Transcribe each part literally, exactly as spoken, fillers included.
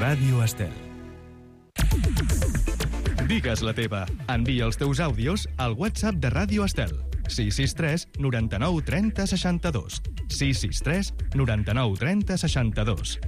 Ràdio Estel. Digues la teva. Envia els teus àudios al WhatsApp de Ràdio Estel. sis sis tres noranta-nou trenta seixanta-dos. sis sis tres noranta-nou trenta seixanta-dos.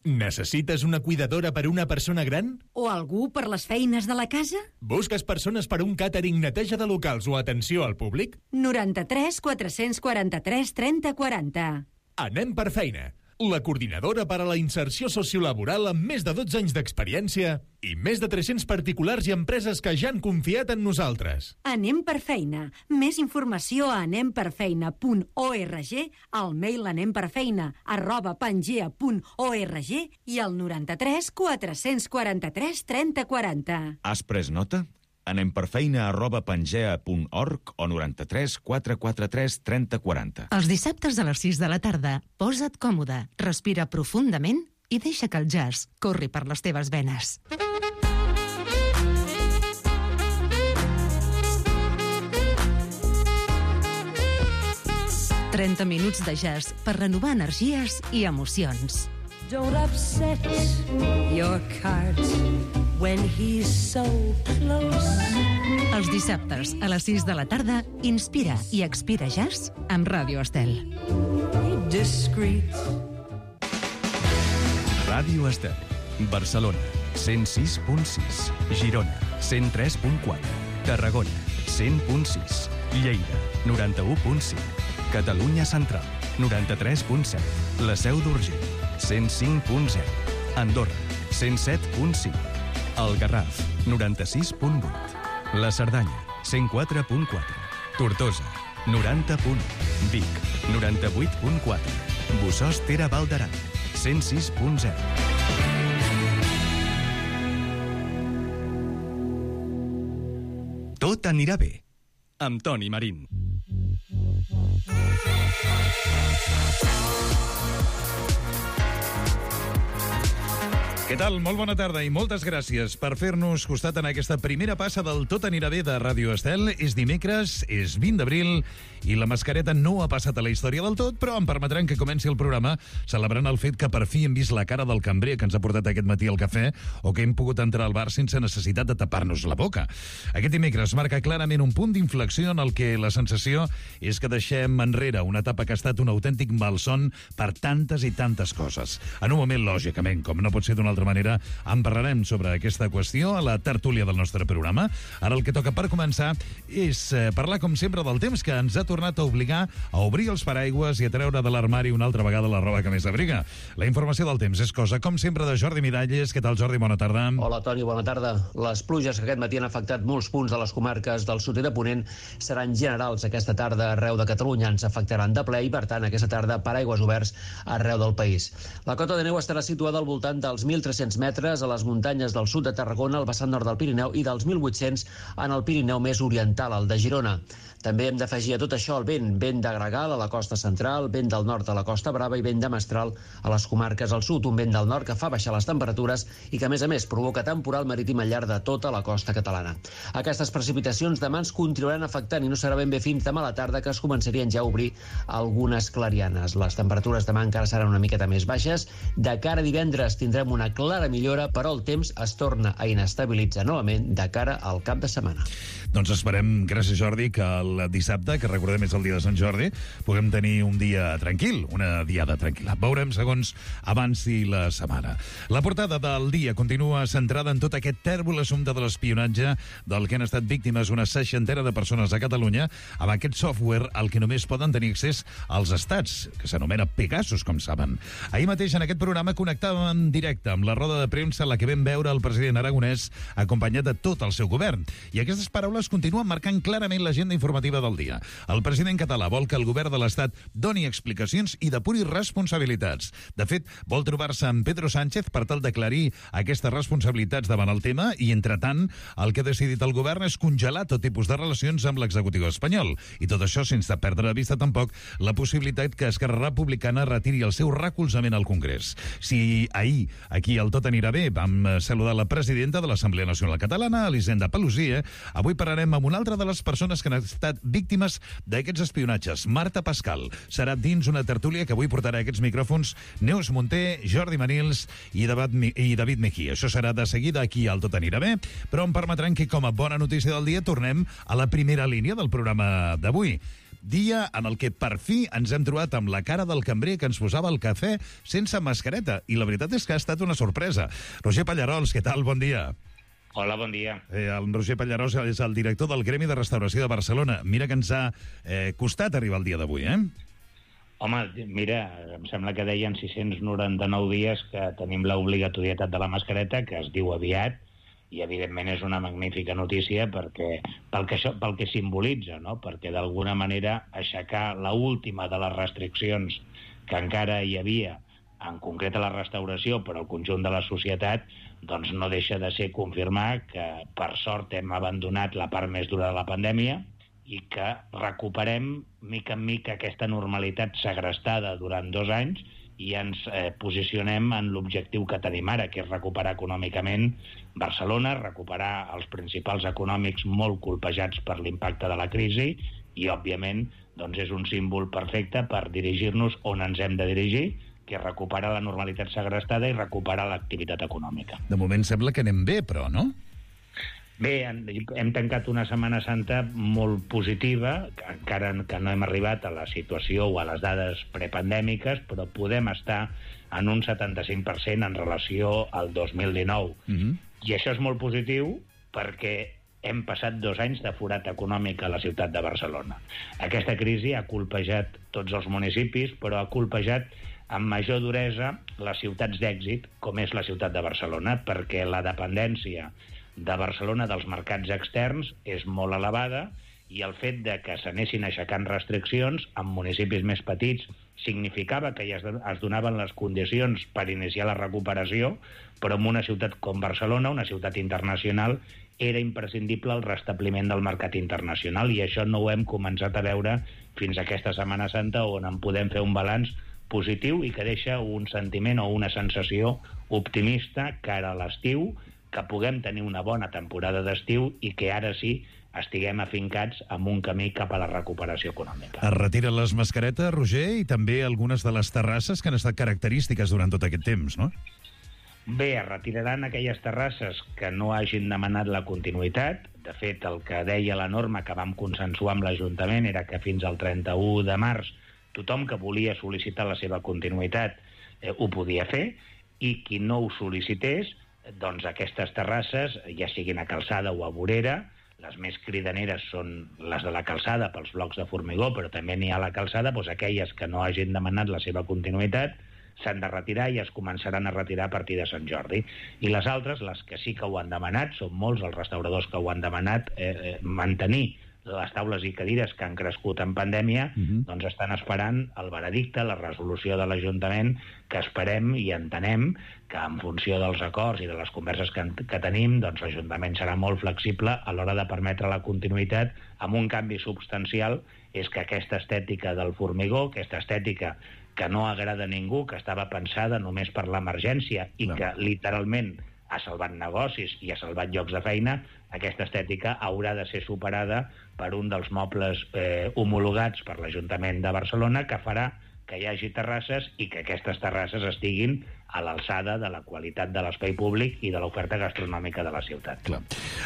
Necessites una cuidadora per una persona gran? O algú per les feines de la casa? Busques persones per un càtering, neteja de locals o atenció al públic? noranta-tres quatre-cents quaranta-tres trenta quaranta. Anem per feina. La coordinadora per a la inserció sociolaboral amb més de dotze anys d'experiència i més de tres-cents particulars i empreses que ja han confiat en nosaltres. Anem per feina. Més informació a anem per feina punt org, al mail anemperfeina arroba pangea punt org i al noranta-tres quatre-cents quaranta-tres trenta quaranta. Has pres nota? Anem per feina arroba pangea punt org o noranta-tres quatre quaranta-tres trenta quaranta. Els dissabtes a les sis de la tarda, posa't còmode, respira profundament i deixa que el jazz corri per les teves venes. trenta minuts de jazz per renovar energies i emocions. Don't upset your cart when he's so close. Els dissabtes a les sis de la tarda, inspira i expira jazz amb Ràdio Estel. Be discreet. Ràdio Estel. Barcelona, cent sis punt sis. Girona, cent tres punt quatre. Tarragona, cent punt sis. Lleida, noranta-u punt cinc. Catalunya Central, noranta-tres punt set. La Seu d'Urgell, cent cinc punt zero. Andorra, cent set punt cinc. El Garraf, noranta-sis punt vuit. La Cerdanya, cent quatre punt quatre. Tortosa, noranta punt u. Vic, noranta-vuit punt quatre. Bossòst Ter Val d'Aran, cent sis punt zero. Tot anirà bé, amb Toni Marín. Què tal? Molt bona tarda i moltes gràcies per fer-nos costat en aquesta primera passa del Tot anirà bé de Ràdio Estel. És dimecres, és vint d'abril i la mascareta no ha passat a la història del tot, però em permetran que comenci el programa celebrant el fet que per fi hem vist la cara del cambrer que ens ha portat aquest matí al cafè o que hem pogut entrar al bar sense necessitat de tapar-nos la boca. Aquest dimecres marca clarament un punt d'inflexió en el que la sensació és que deixem enrere una etapa que ha estat un autèntic malson per tantes i tantes coses. En un moment, lògicament, com no pot ser d'una altra manera, en parlarem sobre aquesta qüestió a la tertúlia del nostre programa. Ara el que toca per començar és eh, parlar, com sempre, del temps que ens ha tornat a obligar a obrir els paraigües i a treure de l'armari una altra vegada la roba que més abriga. La informació del temps és cosa, com sempre, de Jordi Miralles. Què tal, Jordi? Bona tarda. Hola, Toni, bona tarda. Les pluges que aquest matí han afectat molts punts de les comarques del sud i de Ponent seran generals aquesta tarda arreu de Catalunya. Ens afectaran de ple i, per tant, aquesta tarda paraigües oberts arreu del país. La cota de neu estarà situada al voltant dels mil tres-cents metres a les muntanyes del sud de Tarragona, al vessant nord del Pirineu, i dels mil vuit-cents en el Pirineu més oriental, el de Girona. També hem d'afegir a tot això el vent, vent de gregal a la costa central, vent del nord a la Costa Brava i vent de mestral a les comarques al sud, un vent del nord que fa baixar les temperatures i que, a més a més, provoca temporal marítim al llarg de tota la costa catalana. Aquestes precipitacions demà ens continuaran afectant i no serà ben bé fins demà a la tarda que es començarien ja a obrir algunes clarianes. Les temperatures demà encara seran una miqueta més baixes. De cara a divendres tindrem una clara millora, però el temps es torna a inestabilitzar novament de cara al cap de setmana. Doncs esperem, gràcies Jordi, que el dissabte, que recordem és el dia de Sant Jordi, puguem tenir un dia tranquil, una diada tranquil·la. Veurem segons avanci la setmana. La portada del dia continua centrada en tot aquest tèrbol assumpte de l'espionatge del que han estat víctimes una seixantena de persones a Catalunya amb aquest software al que només poden tenir accés als estats, que s'anomena Pegasus, com saben. Ahir mateix en aquest programa connectàvem en directe amb la roda de premsa en la que vam veure el president aragonès acompanyat de tot el seu govern. I aquestes paraules continuen marcant clarament l'agenda informativa del dia. El president català vol que el govern de l'Estat doni explicacions i depuri responsabilitats. De fet, vol trobar-se amb Pedro Sánchez per tal d'aclarir aquestes responsabilitats davant el tema i, entretant, el que ha decidit el govern és congelar tot tipus de relacions amb l'executiu espanyol. I tot això sense perdre de vista tampoc la possibilitat que Esquerra Republicana retiri el seu recolzament al Congrés. Si ahir, aquí al Tot anirà bé, vam saludar la presidenta de l'Assemblea Nacional Catalana, Elisenda Paluzie, avui parlarem amb una altra de les persones que han estat víctimes d'aquests espionatges. Marta Pascal serà dins una tertúlia que avui portarà aquests micròfons Neus Munté, Jordi Manils i David Mejía. Això serà de seguida aquí al Tot Anirà Bé, però em permetran que, com a bona notícia del dia, tornem a la primera línia del programa d'avui. Dia en el que per fi ens hem trobat amb la cara del cambrer que ens posava el cafè sense mascareta. I la veritat és que ha estat una sorpresa. Roger Pallarols, què tal? Bon dia. Hola, bon dia. Eh, el Roger Pallarols és el director del Gremi de Restauració de Barcelona. Mira que ens ha eh, costat arribar el dia d'avui, eh? Home, mira, em sembla que deien sis-cents noranta-nou dies que tenim l'obligatorietat de la mascareta, que es diu aviat, i evidentment és una magnífica notícia perquè, pel, que això, pel que simbolitza, no? Perquè d'alguna manera aixecar l'última de les restriccions que encara hi havia, en concret a la restauració, però al conjunt de la societat, doncs no deixa de ser confirmar que per sort hem abandonat la part més dura de la pandèmia i que recuperem mica en mica aquesta normalitat segrestada durant dos anys i ens eh, posicionem en l'objectiu que tenim ara, que és recuperar econòmicament Barcelona, recuperar els principals econòmics molt colpejats per l'impacte de la crisi i, òbviament, doncs és un símbol perfecte per dirigir-nos on ens hem de dirigir, que és recuperar la normalitat segrestada i recuperar l'activitat econòmica. De moment sembla que anem bé, però, no? Bé, hem tancat una Setmana Santa molt positiva, encara que no hem arribat a la situació o a les dades prepandèmiques, però podem estar en un setanta-cinc per cent en relació al dos mil dinou. Mm-hmm. I això és molt positiu perquè hem passat dos anys de forat econòmic a la ciutat de Barcelona. Aquesta crisi ha colpejat tots els municipis, però ha colpejat amb major duresa les ciutats d'èxit, com és la ciutat de Barcelona, perquè la dependència de Barcelona dels mercats externs és molt elevada i el fet de que s'anessin aixecant restriccions en municipis més petits significava que ja es donaven les condicions per iniciar la recuperació, però en una ciutat com Barcelona, una ciutat internacional, era imprescindible el restabliment del mercat internacional i això no ho hem començat a veure fins a aquesta Setmana Santa on en podem fer un balanç positiu i que deixa un sentiment o una sensació optimista cara a l'estiu, que puguem tenir una bona temporada d'estiu i que ara sí estiguem afincats en un camí cap a la recuperació econòmica. Es retiren les mascaretes, Roger, i també algunes de les terrasses que han estat característiques durant tot aquest temps, no? Bé, es retiraran aquelles terrasses que no hagin demanat la continuïtat. De fet, el que deia la norma que vam consensuar amb l'Ajuntament era que fins al trenta-u de març tothom que volia sol·licitar la seva continuïtat eh, ho podia fer i qui no ho sol·licités, doncs aquestes terrasses, ja siguin a calçada o a vorera, les més cridaneres són les de la calçada pels blocs de formigó, però també n'hi ha a la calçada, doncs aquelles que no hagin demanat la seva continuïtat s'han de retirar i es començaran a retirar a partir de Sant Jordi. I les altres, les que sí que ho han demanat, són molts els restauradors que ho han demanat, eh, eh, mantenir les taules i cadires que han crescut en pandèmia, uh-huh. doncs estan esperant el veredicte, la resolució de l'Ajuntament, que esperem i entenem que en funció dels acords i de les converses que, que tenim, doncs l'Ajuntament serà molt flexible a l'hora de permetre la continuïtat amb un canvi substancial, és que aquesta estètica del formigó, aquesta estètica que no agrada a ningú, que estava pensada només per l'emergència i no. que literalment ha salvat negocis i ha salvat llocs de feina, aquesta estètica haurà de ser superada per un dels mobles eh, homologats per l'Ajuntament de Barcelona que farà que hi hagi terrasses i que aquestes terrasses estiguin a l'alçada de la qualitat de l'espai públic i de l'oferta gastronòmica de la ciutat. Clar.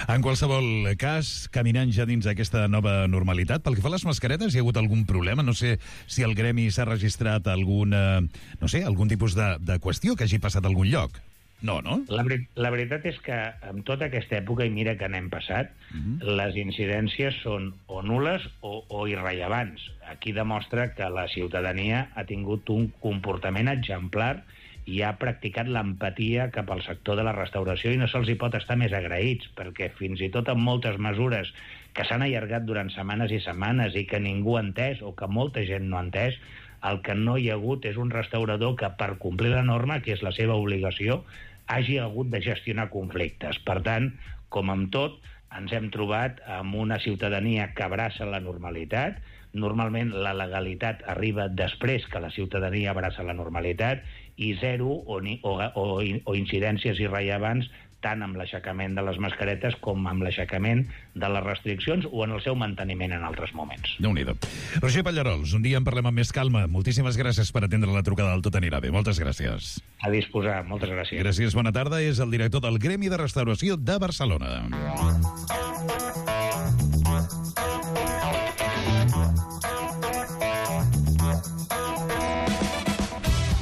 En qualsevol cas, caminant ja dins aquesta nova normalitat, pel que fa a les mascaretes, hi ha hagut algun problema? No sé si el gremi s'ha registrat alguna, no sé, algun tipus de, de qüestió que hagi passat a algun lloc. No, no? La, la veritat és que en tota aquesta època, i mira que n'hem passat, uh-huh. les incidències són o nules o, o irrellevants. Aquí demostra que la ciutadania ha tingut un comportament exemplar i ha practicat l'empatia cap al sector de la restauració i no se'ls hi pot estar més agraïts, perquè fins i tot amb moltes mesures que s'han allargat durant setmanes i setmanes i que ningú ha entès o que molta gent no ha entès, el que no hi ha hagut és un restaurador que, per complir la norma, que és la seva obligació, hagi hagut de gestionar conflictes. Per tant, com amb tot, ens hem trobat amb una ciutadania que abraça la normalitat. Normalment la legalitat arriba després que la ciutadania abraça la normalitat i zero o, ni, o, o, o incidències irrellevants tant amb l'aixecament de les mascaretes com amb l'aixecament de les restriccions o en el seu manteniment en altres moments. Déu-n'hi-do. Roger Pallarols, un dia en parlem amb més calma. Moltíssimes gràcies per atendre la trucada del Tot anirà bé. Moltes gràcies. A disposar. Moltes gràcies. Gràcies, bona tarda. És el director del Gremi de Restauració de Barcelona.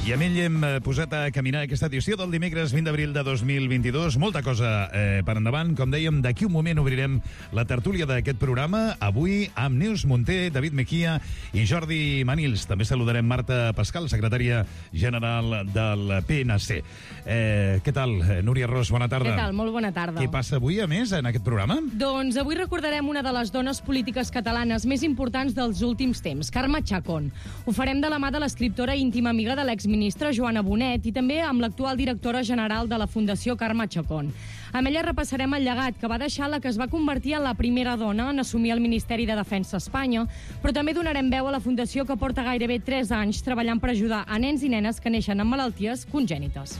I amb ell hem posat a caminar aquesta edició del dimecres vint d'abril de dos mil vint-i-dos. Molta cosa eh, per endavant. Com dèiem, d'aquí un moment obrirem la tertúlia d'aquest programa. Avui amb Neus Munté, David Mejía i Jordi Manils. També saludarem Marta Pascal, secretària general del P N C. Eh, què tal, Núria Ros? Bona tarda. Què tal? Molt bona tarda. Què passa avui, a més, en aquest programa? Doncs avui recordarem una de les dones polítiques catalanes més importants dels últims temps, Carme Chacón. Ho farem de la mà de l'escriptora i íntima amiga de l'exministre Joana Bonet i també amb l'actual directora general de la Fundació Carme Chacón. Amb ella repassarem el llegat que va deixar la que es va convertir en la primera dona en assumir el Ministeri de Defensa a Espanya, però també donarem veu a la Fundació que porta gairebé tres anys treballant per ajudar a nens i nenes que neixen amb malalties congènites.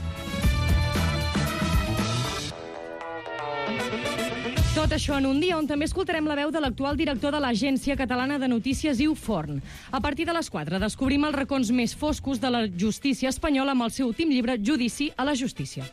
Tot això en un dia on també escoltarem la veu de l'actual director de l'Agència Catalana de Notícies, Iu Forn. A partir de les quatre descobrim els racons més foscos de la justícia espanyola amb el seu últim llibre, Judici a la justícia.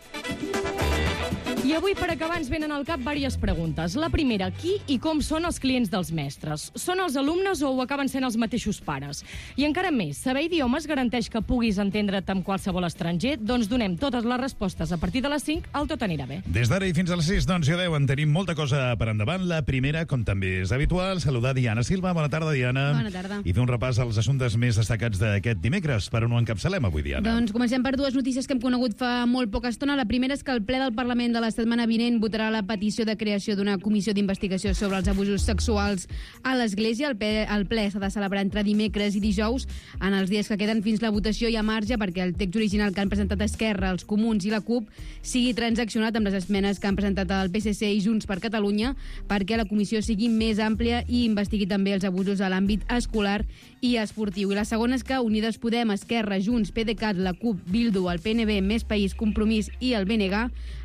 I avui, per acabar, ens venen al cap diverses preguntes. La primera, qui i com són els clients dels mestres? Són els alumnes o ho acaben sent els mateixos pares? I encara més, saber idiomes garanteix que puguis entendre't amb qualsevol estranger? Doncs donem totes les respostes a partir de les cinc al Tot anirà bé. Des d'ara i fins a les sis, doncs ja veuen, tenim molta cosa per endavant. La primera, com també és habitual, saludar Diana Silva. Bona tarda, Diana. Bona tarda. I fer un repàs als assumptes més destacats d'aquest dimecres. Per on ho encapçalem avui, Diana? Doncs comencem per dues notícies que hem conegut fa molt poca estona. La primera és que el ple del Parlament de la setmana vinent votarà la petició de creació d'una comissió d'investigació sobre els abusos sexuals a l'Església. El ple, el ple s'ha de celebrar entre dimecres i dijous. En els dies que queden fins la votació hi ha marge perquè el text original que han presentat Esquerra, els Comuns i la CUP sigui transaccionat amb les esmenes que han presentat el P S C i Junts per Catalunya perquè la comissió sigui més àmplia i investigui també els abusos a l'àmbit escolar i esportiu. I la segona és que Unides Podem, Esquerra, Junts, PDeCAT, la CUP, Bildu, el P N B, Més País, Compromís i el B N G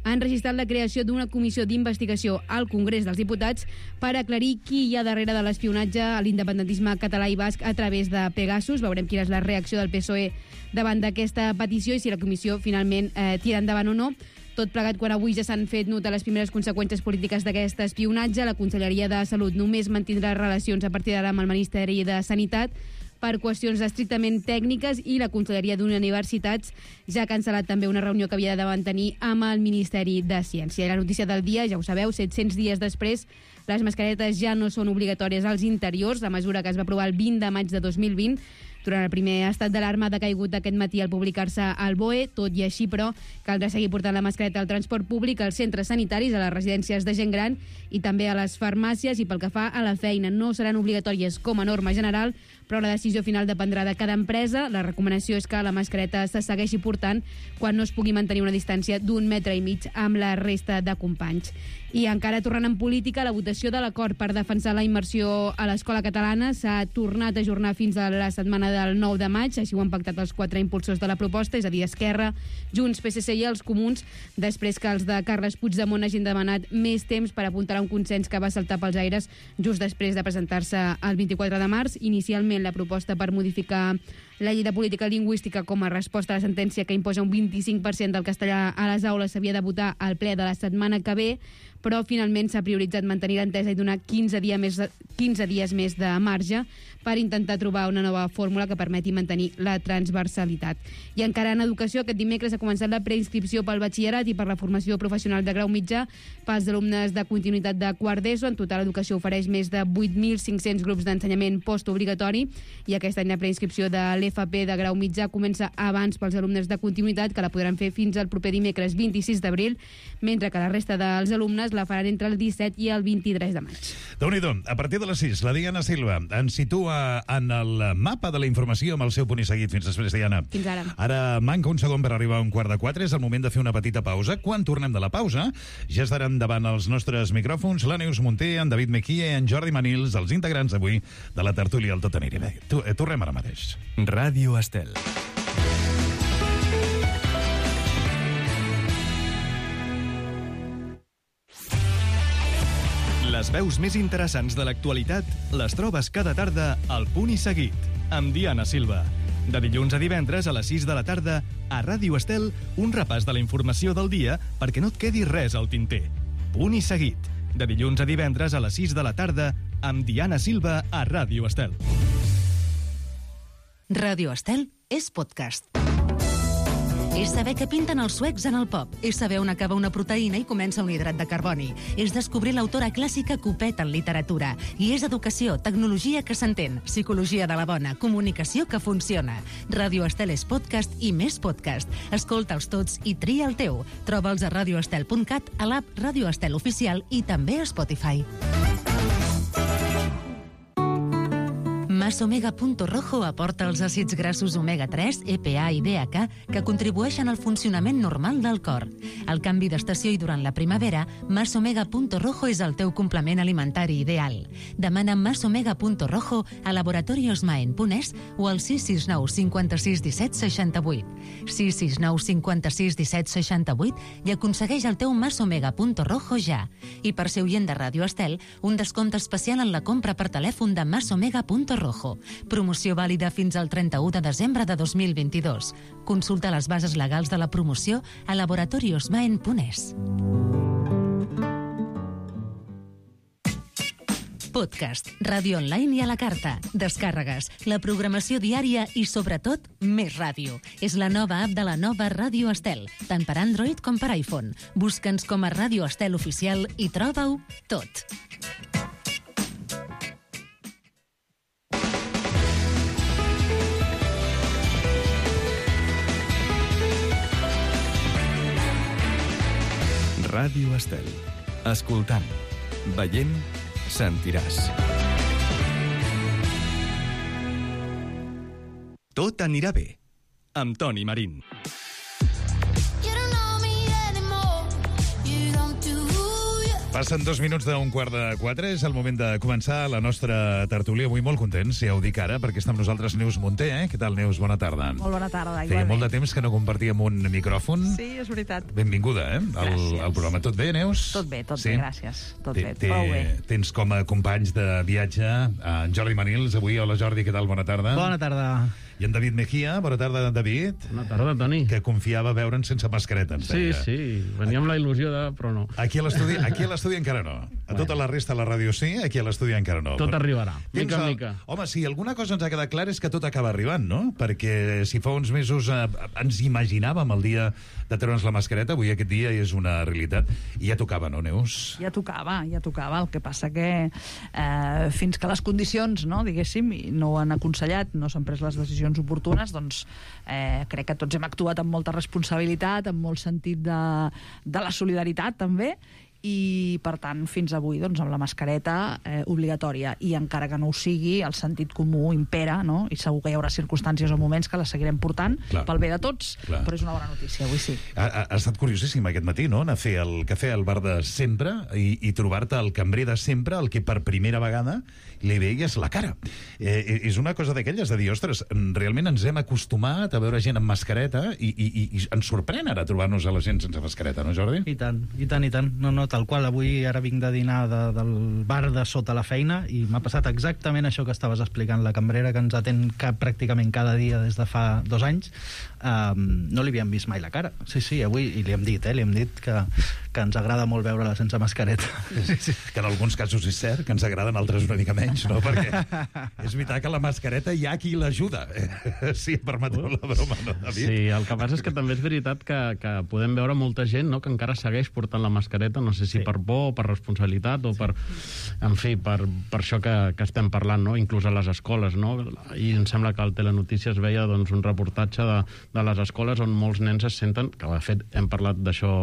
han registrat la creació d'una comissió d'investigació al Congrés dels Diputats per aclarir qui hi ha darrere de l'espionatge a l'independentisme català i basc a través de Pegasus. Veurem quina és la reacció del P S O E davant d'aquesta petició i si la comissió finalment eh, tira endavant o no. Tot plegat quan avui ja s'han fet notar les primeres conseqüències polítiques d'aquest espionatge. La Conselleria de Salut només mantindrà relacions a partir d'ara amb el Ministeri de Sanitat per qüestions estrictament tècniques i la Conselleria d'Universitats ja ha cancel·lat també una reunió que havia de mantenir amb el Ministeri de Ciència. I la notícia del dia, ja ho sabeu, set-cents dies després, les mascaretes ja no són obligatòries als interiors, la mesura que es va aprovar el vint de maig de dos mil vint. Durant el primer estat d'alarma ha decaigut aquest matí al publicar-se al B O E, tot i així, però, caldrà seguir portant la mascareta al transport públic, als centres sanitaris, a les residències de gent gran i també a les farmàcies, i pel que fa a la feina no seran obligatòries com a norma general, però la decisió final dependrà de cada empresa. La recomanació és que la mascareta se segueixi portant quan no es pugui mantenir una distància d'un metre i mig amb la resta de companys. I encara tornant en política, la votació de l'acord per defensar la immersió a l'escola catalana s'ha tornat a ajornar fins a la setmana del nou de maig, així ho han pactat els quatre impulsors de la proposta, és a dir, Esquerra, Junts, P S C i els Comuns, després que els de Carles Puigdemont hagin demanat més temps per apuntar a un consens que va saltar pels aires just després de presentar-se el vint-i-quatre de març. Inicialment, la proposta per modificar la llei de política lingüística com a resposta a la sentència que imposa un vint-i-cinc per cent del castellà a les aules s'havia de votar al ple de la setmana que ve, però finalment s'ha prioritzat mantenir l'entesa i donar quinze dies més, quinze dies més de marge per intentar trobar una nova fórmula que permeti mantenir la transversalitat. I encara en educació, aquest dimecres ha començat la preinscripció pel batxillerat i per la formació professional de grau mitjà pels alumnes de continuïtat de quart d'ESO. En total, l'educació ofereix més de vuit mil cinc-cents grups d'ensenyament postobligatori i aquest any la preinscripció de l'F P de grau mitjà comença abans pels alumnes de continuïtat, que la podran fer fins al proper dimecres vint-i-sis d'abril, mentre que la resta dels alumnes la faran entre el disset i el vint-i-tres de maig. Déu-n'hi-do, a partir de les sis, la Diana Silva ens situa en el mapa de la informació amb el seu punt i seguit. Fins després, Diana. Fins ara. Ara manca un segon per arribar a un quart de quatre. És el moment de fer una petita pausa. Quan tornem de la pausa, ja estaran davant els nostres micròfons la Neus Munté, en David Mejía i en Jordi Manils, els integrants avui de la tertúlia al Tot anirà bé. Tornem ara mateix. Ràdio Estel. Les veus més interessants de l'actualitat les trobes cada tarda al Punt i Seguit, amb Diana Silva. De dilluns a divendres a les sis de la tarda, a Ràdio Estel, un repàs de la informació del dia perquè no et quedi res al tinter. Punt i Seguit. De dilluns a divendres a les sis de la tarda, amb Diana Silva a Ràdio Estel. Ràdio Estel és podcast. És saber què pinten els suecs en el pop. És saber on acaba una proteïna i comença un hidrat de carboni. És descobrir l'autora clàssica que ho peta en literatura. I és educació, tecnologia que s'entén, psicologia de la bona, comunicació que funciona. Ràdio Estel és podcast i més podcast. Escolta'ls tots i tria el teu. Troba'ls a radioestel punt cat, a l'app Ràdio Estel Oficial i també a Spotify. Masomega Punto Rojo aporta els àcids grassos omega tres, E P A i D H A que contribueixen al funcionament normal del cor. Al canvi d'estació i durant la primavera, Masomega Punto Rojo és el teu complement alimentari ideal. Demana Masomega Punto Rojo a Laboratorios Maen punt es o al sis sis nou cinquanta-sis disset seixanta-vuit. sis sis nou cinquanta-sis disset seixanta-vuit i aconsegueix el teu Masomega Punto Rojo ja. I per ser oient de Ràdio Estel, un descompte especial en la compra per telèfon de Masomega Punto Rojo. Promoció vàlida fins al trenta-u de desembre de dos mil vint-i-dos. Consulta les bases legals de la promoció a laboratorios maen punt es. Podcast, ràdio online i a la carta, descàrregues, la programació diària i, sobretot, més ràdio. És la nova app de la nova Ràdio Estel, tant per Android com per iPhone. Busca'ns com a Ràdio Estel Oficial i troba-ho tot. Ràdio Estel. Escoltant, veient, sentiràs. Tot anirà bé, amb Toni Marín. Passen dos minuts d'un quart de quatre. És el moment de començar la nostra tertúlia. Avui molt contents, ja ho dic ara, perquè està amb nosaltres Neus Munté. Eh? Què tal, Neus? Bona tarda. Molt bona tarda, igualment. Feia molt de temps que no compartíem un micròfon. Sí, és veritat. Benvinguda, eh? Al, al programa. Tot bé, Neus? Tot bé, tot sí? bé, gràcies. Tot té, bé, té, prou bé. Tens com a companys de viatge en Jordi Manils avui. Hola, Jordi, què tal? Bona tarda. Bona tarda. I en David Mejía. Bona tarda, David. Bona tarda, Toni. Que confiava veure'n sense mascareta, ens Sí, deia. sí. Venia amb la il·lusió de... però no. Aquí a l'estudi aquí a l'estudi encara no. A tota la resta de la ràdio sí, aquí a l'estudi encara no. Tot Però... arribarà, mica en el... mica. Home, sí, alguna cosa ens ha quedat clar és que tot acaba arribant, no? Perquè si fa uns mesos eh, ens imaginàvem el dia de treure'ns la mascareta, avui aquest dia és una realitat. I ja tocava, no, Neus? Ja tocava, ja tocava. El que passa que eh, fins que les condicions, no, diguéssim, no ho han aconsellat, no s'han pres les decisions oportunes, doncs eh, crec que tots hem actuat amb molta responsabilitat, amb molt sentit de, de la solidaritat, també, i per tant fins avui doncs, amb la mascareta eh, obligatòria, i encara que no ho sigui el sentit comú impera, no? I segur que hi haurà circumstàncies o moments que la seguirem portant. Clar. Pel bé de tots. Clar. Però és una bona notícia, avui sí. Ha, ha, ha estat curiosíssim aquest matí, no? Anar a fer el cafè al bar de sempre i, i trobar-te el cambrer de sempre, el que per primera vegada li veies la cara. Eh, és una cosa d'aquelles de dir, ostres, realment ens hem acostumat a veure gent amb mascareta i, i, i, i ens sorprèn ara trobar-nos a la gent sense mascareta, no, Jordi? I tant, i tant, i tant. No, no, tal qual. Avui ara vinc de dinar de, del bar de sota la feina i m'ha passat exactament això que estaves explicant. La cambrera que ens atén cap, pràcticament cada dia des de fa dos anys, um, no li havíem vist mai la cara. Sí, sí, avui, i li hem dit, eh, li hem dit que, que ens agrada molt veure-la sense mascareta. Sí, sí. Que en alguns casos és cert, que ens agraden, altres una mica menys, no? Perquè és veritat que la mascareta hi ha qui l'ajuda. Eh, sí, permeteu la broma, no, David? Sí, el que passa és que també és veritat que, que podem veure molta gent, no?, que encara segueix portant la mascareta, no sé si sí. per por, per responsabilitat o sí. per... En fi, per, per això que, que estem parlant, no?, inclús a les escoles, no? I em sembla que al Telenotícies veia doncs, un reportatge de, de les escoles on molts nens es senten, que de fet hem parlat d'això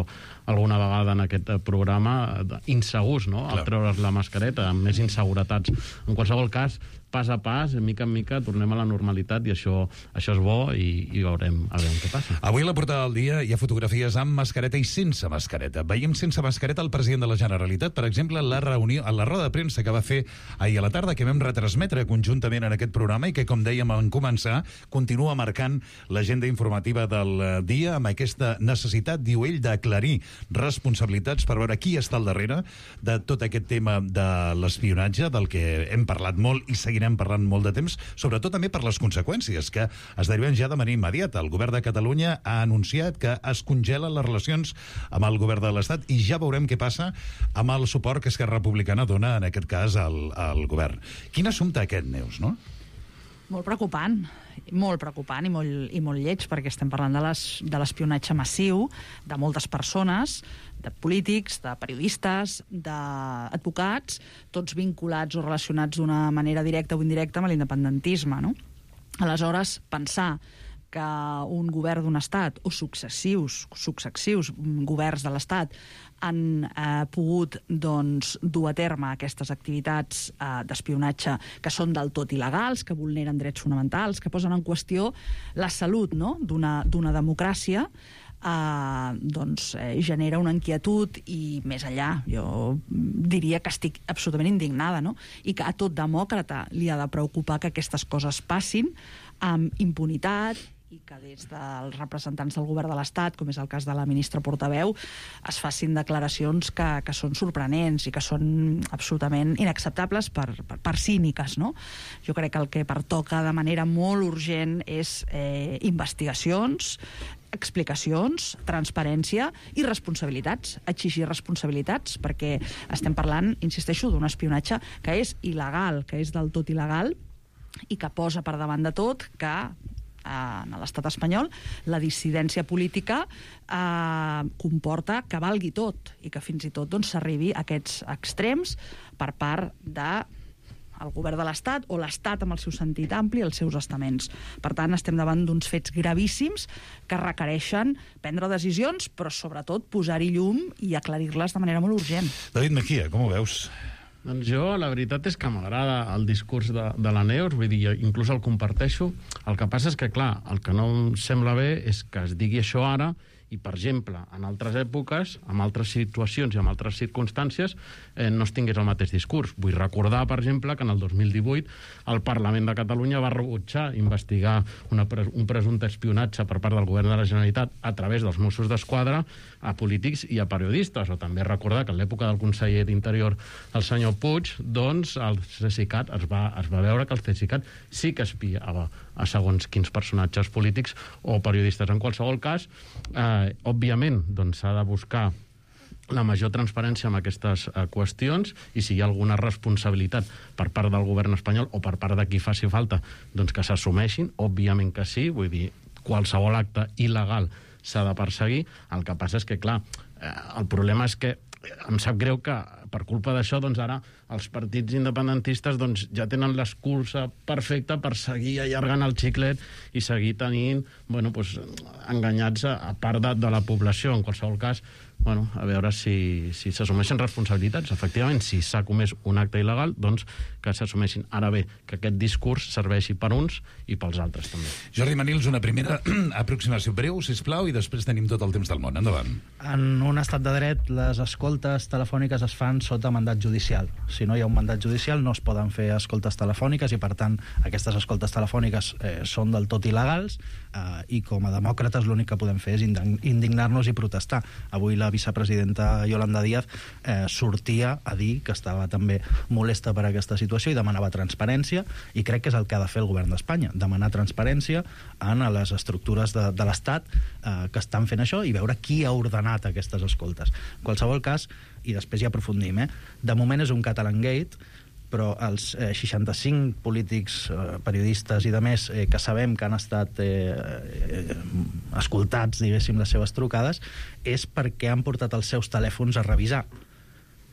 alguna vegada en aquest programa, insegurs, no?, al treure's la mascareta, amb més inseguretats. En qualsevol cas, pas a pas, mica en mica, tornem a la normalitat i això, això és bo i, i veurem, a veure què passa. Avui a la portada del dia hi ha fotografies amb mascareta i sense mascareta. Veiem sense mascareta el president de la Generalitat, per exemple, la reunió, a la roda de premsa que va fer ahir a la tarda, que vam retransmetre conjuntament en aquest programa i que, com dèiem en començar, continua marcant l'agenda informativa del dia amb aquesta necessitat, diu ell, d'aclarir responsabilitats per veure qui està al darrere de tot aquest tema de l'espionatge, del que hem parlat molt i seguirem parlant molt de temps, sobretot també per les conseqüències que es deriven ja de manera immediata. El govern de Catalunya ha anunciat que es congelen les relacions amb el govern de l'Estat i ja veurem què passa amb el suport que Esquerra Republicana dona, en aquest cas, al, al govern. Quin assumpte aquest, Neus, no? Molt preocupant, molt preocupant i molt, i molt lleig, perquè estem parlant de les, de l'espionatge massiu de moltes persones, de polítics, de periodistes, d'advocats, tots vinculats o relacionats d'una manera directa o indirecta amb l'independentisme, no? Aleshores, pensar que un govern d'un estat o successius, successius governs de l'estat han eh, pogut doncs, dur a terme aquestes activitats eh, d'espionatge que són del tot il·legals, que vulneren drets fonamentals, que posen en qüestió la salut, no?, d'una d'una democràcia, eh, doncs eh, genera una inquietud i més enllà, jo diria que estic absolutament indignada, no?, i que a tot demòcrata li ha de preocupar que aquestes coses passin amb impunitat i que des dels representants del govern de l'Estat, com és el cas de la ministra portaveu, es facin declaracions que, que són sorprenents i que són absolutament inacceptables per, per, per cíniques, no? Jo crec que el que pertoca de manera molt urgent és eh, investigacions, explicacions, transparència i responsabilitats, exigir responsabilitats, perquè estem parlant, insisteixo, d'un espionatge que és il·legal, que és del tot il·legal i que posa per davant de tot que en l'estat espanyol la dissidència política eh, comporta que valgui tot i que fins i tot doncs, s'arribi a aquests extrems per part de el govern de l'Estat o l'Estat amb el seu sentit ampli, els seus estaments. Per tant, estem davant d'uns fets gravíssims que requereixen prendre decisions, però sobretot posar-hi llum i aclarir-les de manera molt urgent. David Mejía, com ho veus? Doncs jo, la veritat és que m'agrada el discurs de, de la Neus, vull dir, inclús el comparteixo. El que passa és que, clar, el que no em sembla bé és que es digui això ara i, per exemple, en altres èpoques, en altres situacions i en altres circumstàncies, eh, no es tingués el mateix discurs. Vull recordar, per exemple, que en el dos mil divuit el Parlament de Catalunya va rebutjar investigar una, un presumpte espionatge per part del govern de la Generalitat a través dels Mossos d'Esquadra a polítics i a periodistes. O també recordar que en l'època del conseller d'Interior, el senyor Puig, doncs el CECICAT es va, es va veure que el CECICAT sí que espiava a segons quins personatges polítics o periodistes. En qualsevol cas, eh, òbviament, doncs s'ha de buscar la major transparència en aquestes eh, qüestions i si hi ha alguna responsabilitat per part del govern espanyol o per part de qui faci falta, doncs que s'assumeixin, òbviament que sí, vull dir, qualsevol acte il·legal s'ha de perseguir. El que passa és que, clar, eh, el problema és que em sap greu que per culpa d'això, doncs ara els partits independentistes doncs, ja tenen l'excusa perfecta per seguir allargant el xiclet i seguir tenint, bueno, doncs, enganyats a, a part de, de la població. En qualsevol cas, bueno, a veure si, si s'assumeixen responsabilitats. Efectivament, si s'ha comès un acte il·legal, doncs que s'assumeixin. Ara bé, que aquest discurs serveixi per uns i pels altres també. Jordi Manils, una primera aproximació breu, sisplau, i després tenim tot el temps del món. Endavant. En un estat de dret, les escoltes telefòniques es fan sota mandat judicial. Si no hi ha un mandat judicial, no es poden fer escoltes telefòniques i, per tant, aquestes escoltes telefòniques eh, són del tot il·legals eh, i, com a demòcrates, l'únic que podem fer és indignar-nos i protestar. Avui la vicepresidenta Yolanda Díaz eh, sortia a dir que estava també molesta per aquesta situació i demanava transparència, i crec que és el que ha de fer el govern d'Espanya, demanar transparència en les estructures de, de l'Estat eh, que estan fent això i veure qui ha ordenat aquestes escoltes. En qualsevol cas, i després hi aprofundim, eh? De moment és un Catalangate, però els eh, seixanta-cinc polítics, eh, periodistes i de més eh, que sabem que han estat eh, eh, escoltats, diguéssim, les seves trucades, és perquè han portat els seus telèfons a revisar.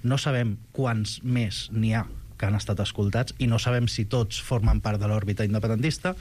No sabem quants més n'hi ha que han estat escoltats, i no sabem si tots formen part de l'òrbita independentista,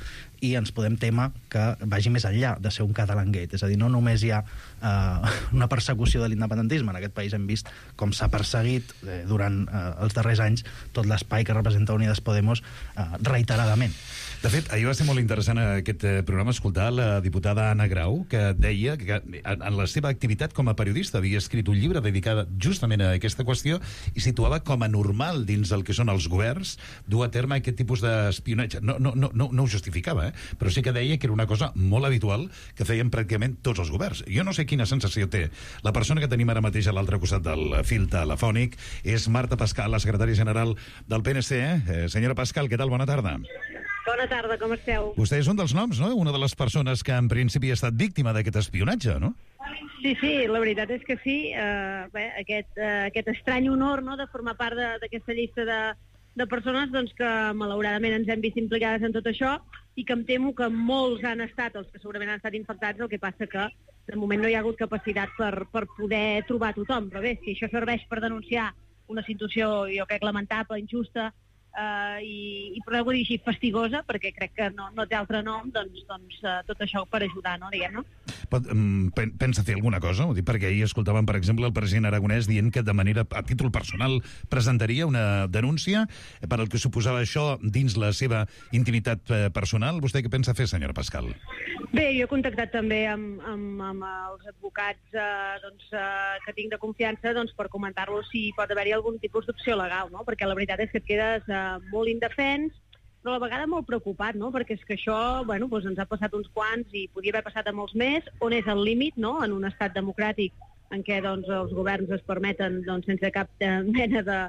i ens podem temer que vagi més enllà de ser un Catalangate. És a dir, no només hi ha eh, una persecució de l'independentisme. En aquest país hem vist com s'ha perseguit eh, durant eh, els darrers anys tot l'espai que representa Unides Podemos eh, reiteradament. De fet, ahir va ser molt interessant aquest programa escoltar la diputada Anna Grau, que deia que en la seva activitat com a periodista havia escrit un llibre dedicat justament a aquesta qüestió i situava com a normal dins el que són els governs dur a terme aquest tipus d'espionatge. No, no, no, no, no ho justificava, eh? Però sí que deia que era una cosa molt habitual que feien pràcticament tots els governs. Jo no sé quina sensació té. La persona que tenim ara mateix a l'altre costat del fil telefònic és Marta Pascal, la secretària general del P N C. Eh? Senyora Pascal, què tal? Bona tarda. Bona tarda, com esteu? Vostè és un dels noms, no? Una de les persones que en principi ha estat víctima d'aquest espionatge, no? Sí, sí, la veritat és que sí. Uh, bé, aquest, uh, aquest estrany honor, no?, de formar part d'aquesta llista de, de persones doncs, que malauradament ens hem vist implicades en tot això i que em temo que molts han estat, els que segurament han estat infectats, el que passa que de moment no hi ha hagut capacitat per, per poder trobar tothom. Però bé, si això serveix per denunciar una situació, jo crec, lamentable, injusta, Uh, i, i podeu dir així fastigosa, perquè crec que no, no té altre nom, doncs, doncs uh, tot això per ajudar, no, diguem-ne. Pot, um, pensa fer alguna cosa? Ho dic perquè ahir escoltàvem, per exemple, el president aragonès dient que de manera, a títol personal, presentaria una denúncia per al que suposava això dins la seva intimitat uh, personal. Vostè què pensa fer, senyora Pascal? Bé, jo he contactat també amb, amb, amb els advocats uh, doncs, uh, que tinc de confiança doncs, per comentar-los si pot haver-hi algun tipus d'opció legal, no? Perquè la veritat és que et quedes uh, molt indefens, però a la vegada molt preocupat, no? Perquè és que això, bueno, doncs ens ha passat uns quants i podia haver passat a molts més, on és el límit, no?, en un estat democràtic en què doncs, els governs es permeten doncs, sense cap mena de,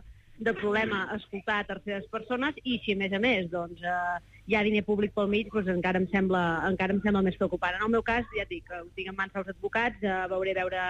de problema escoltar terceres persones, i si a més a més doncs, eh, hi ha diner públic pel mig, doncs encara em sembla, encara em sembla més preocupant. En el meu cas, ja et dic, ho tinc en mans dels advocats, eh, veuré veure,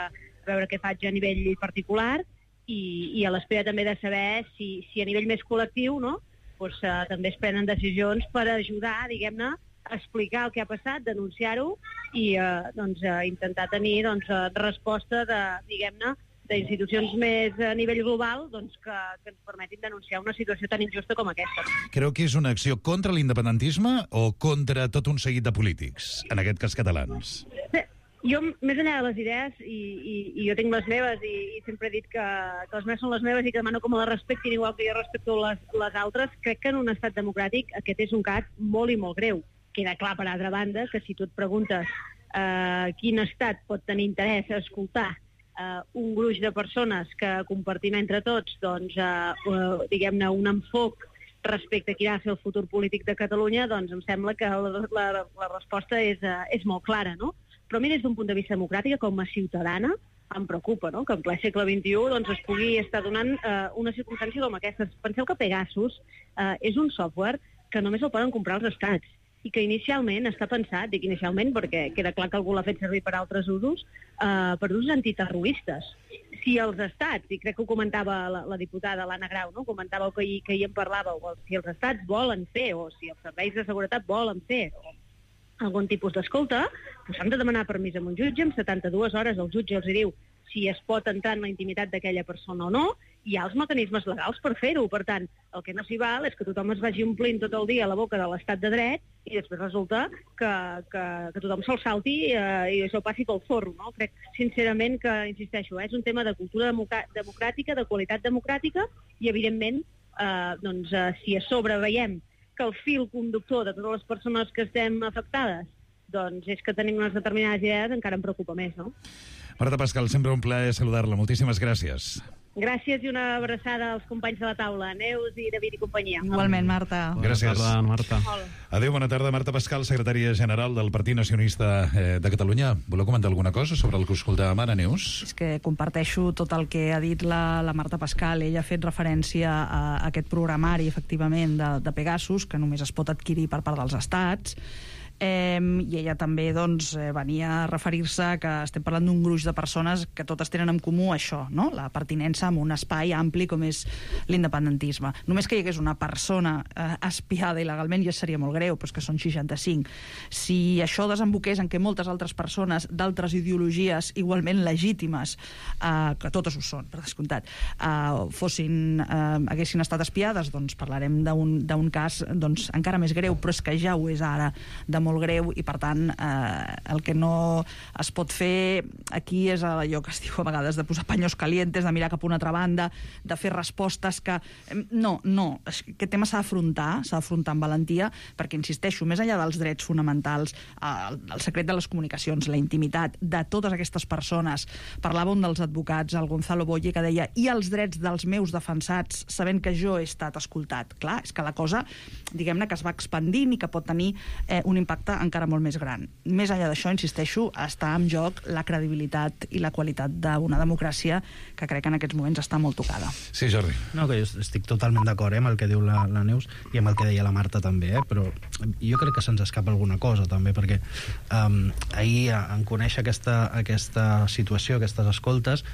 veure què faig a nivell particular, i, i a l'espera també de saber si, si a nivell més col·lectiu, no?, doncs, eh, també es prenen decisions per ajudar, diguem-ne, a explicar el que ha passat, denunciar-ho i eh, doncs, eh, intentar tenir doncs, eh, resposta de, diguem-ne, d'institucions més a nivell global doncs, que, que ens permetin denunciar una situació tan injusta com aquesta. Creu que és una acció contra l'independentisme o contra tot un seguit de polítics, en aquest cas catalans? Bé, jo, més enllà de les idees, i, i, i jo tinc les meves, i, i sempre he dit que, que les meves són les meves i que demano com les respectin igual que jo respecto les, les altres, crec que en un estat democràtic aquest és un cas molt i molt greu. Queda clar, per altra banda, que si tu et preguntes eh, quin estat pot tenir interès a escoltar eh, un gruix de persones que compartim entre tots, doncs, eh, uh, diguem-ne, un enfoc respecte a quin ha de ser el futur polític de Catalunya, doncs em sembla que la, la, la resposta és, uh, és molt clara, no? Però a mi, des d'un punt de vista democràtic, com a ciutadana, em preocupa, no?, que en ple segle vint-i-u doncs, es pugui estar donant eh, una circumstància com aquesta. Penseu que Pegasus eh, és un software que només el poden comprar els estats i que inicialment està pensat, dic inicialment perquè queda clar que algú l'ha fet servir per altres usos, eh, per usos antiterroristes. Si els estats, i crec que ho comentava la, la diputada l'Anna Grau, no?, comentàveu que ahir, que ahir en parlàveu, si els estats volen fer, o si els serveis de seguretat volen fer, o algun tipus d'escolta, doncs han de demanar permís a un jutge, en setanta-dues hores el jutge els diu si es pot entrar en la intimitat d'aquella persona o no, hi ha els mecanismes legals per fer-ho. Per tant, el que no s'hi val és que tothom es vagi omplint tot el dia a la boca de l'estat de dret i després resulta que, que, que tothom se'l salti eh, i això passi pel forro, no? Crec, sincerament, que, insisteixo, eh, és un tema de cultura democràtica, de qualitat democràtica, i, evidentment, eh, doncs, eh, si a sobre veiem que el fil conductor de totes les persones que estem afectades doncs és que tenim unes determinades idees, encara em preocupa més, no? Marta Pascal, sempre un plaer saludar-la. Moltíssimes gràcies. Gràcies i una abraçada als companys de la taula, Neus i David i companyia. Igualment, Marta. Gràcies. Bona tarda, Marta. Hola. Adéu, bona tarda. Marta Pascal, secretària general del Partit Nacionalista eh, de Catalunya. Voleu comentar alguna cosa sobre el que escoltàvem ara, Neus? És que comparteixo tot el que ha dit la, la Marta Pascal. Ella ha fet referència a, a aquest programari, efectivament, de, de Pegasus, que només es pot adquirir per part dels estats, Eh, I ella també doncs, venia a referir-se que estem parlant d'un gruix de persones que totes tenen en comú això, no? La pertinença a un espai ampli com és l'independentisme. Només que hi hagués una persona eh, espiada il·legalment ja seria molt greu, però és que són seixanta-cinc. Si això desemboqués en què moltes altres persones d'altres ideologies igualment legítimes, eh, que totes ho són, per descomptat, eh, fossin, eh, haguessin estat espiades, doncs parlarem d'un cas doncs, encara més greu, però és que ja ho és ara de molt greu i, per tant, eh, el que no es pot fer aquí és allò que es diu a vegades de posar paños calientes, de mirar cap a una altra banda, de fer respostes que... No, no, aquest tema s'ha d'afrontar, s'ha d'afrontar amb valentia, perquè, insisteixo, més enllà dels drets fonamentals, el, el secret de les comunicacions, la intimitat de totes aquestes persones, parlava un dels advocats, el Gonzalo Boye, que deia i els drets dels meus defensats, sabent que jo he estat escoltat. Clar, és que la cosa, diguem-ne, que es va expandint i que pot tenir eh, un impacte encara molt més gran. Més enllà d'això, insisteixo, està en joc la credibilitat i la qualitat d'una democràcia que crec que en aquests moments està molt tocada. Sí, Jordi. No, que jo estic totalment d'acord eh, amb el que diu la, la Neus i amb el que deia la Marta també, eh, però jo crec que se'ns escapa alguna cosa també, perquè um, ahir en conèixer aquesta, aquesta situació, aquestes escoltes,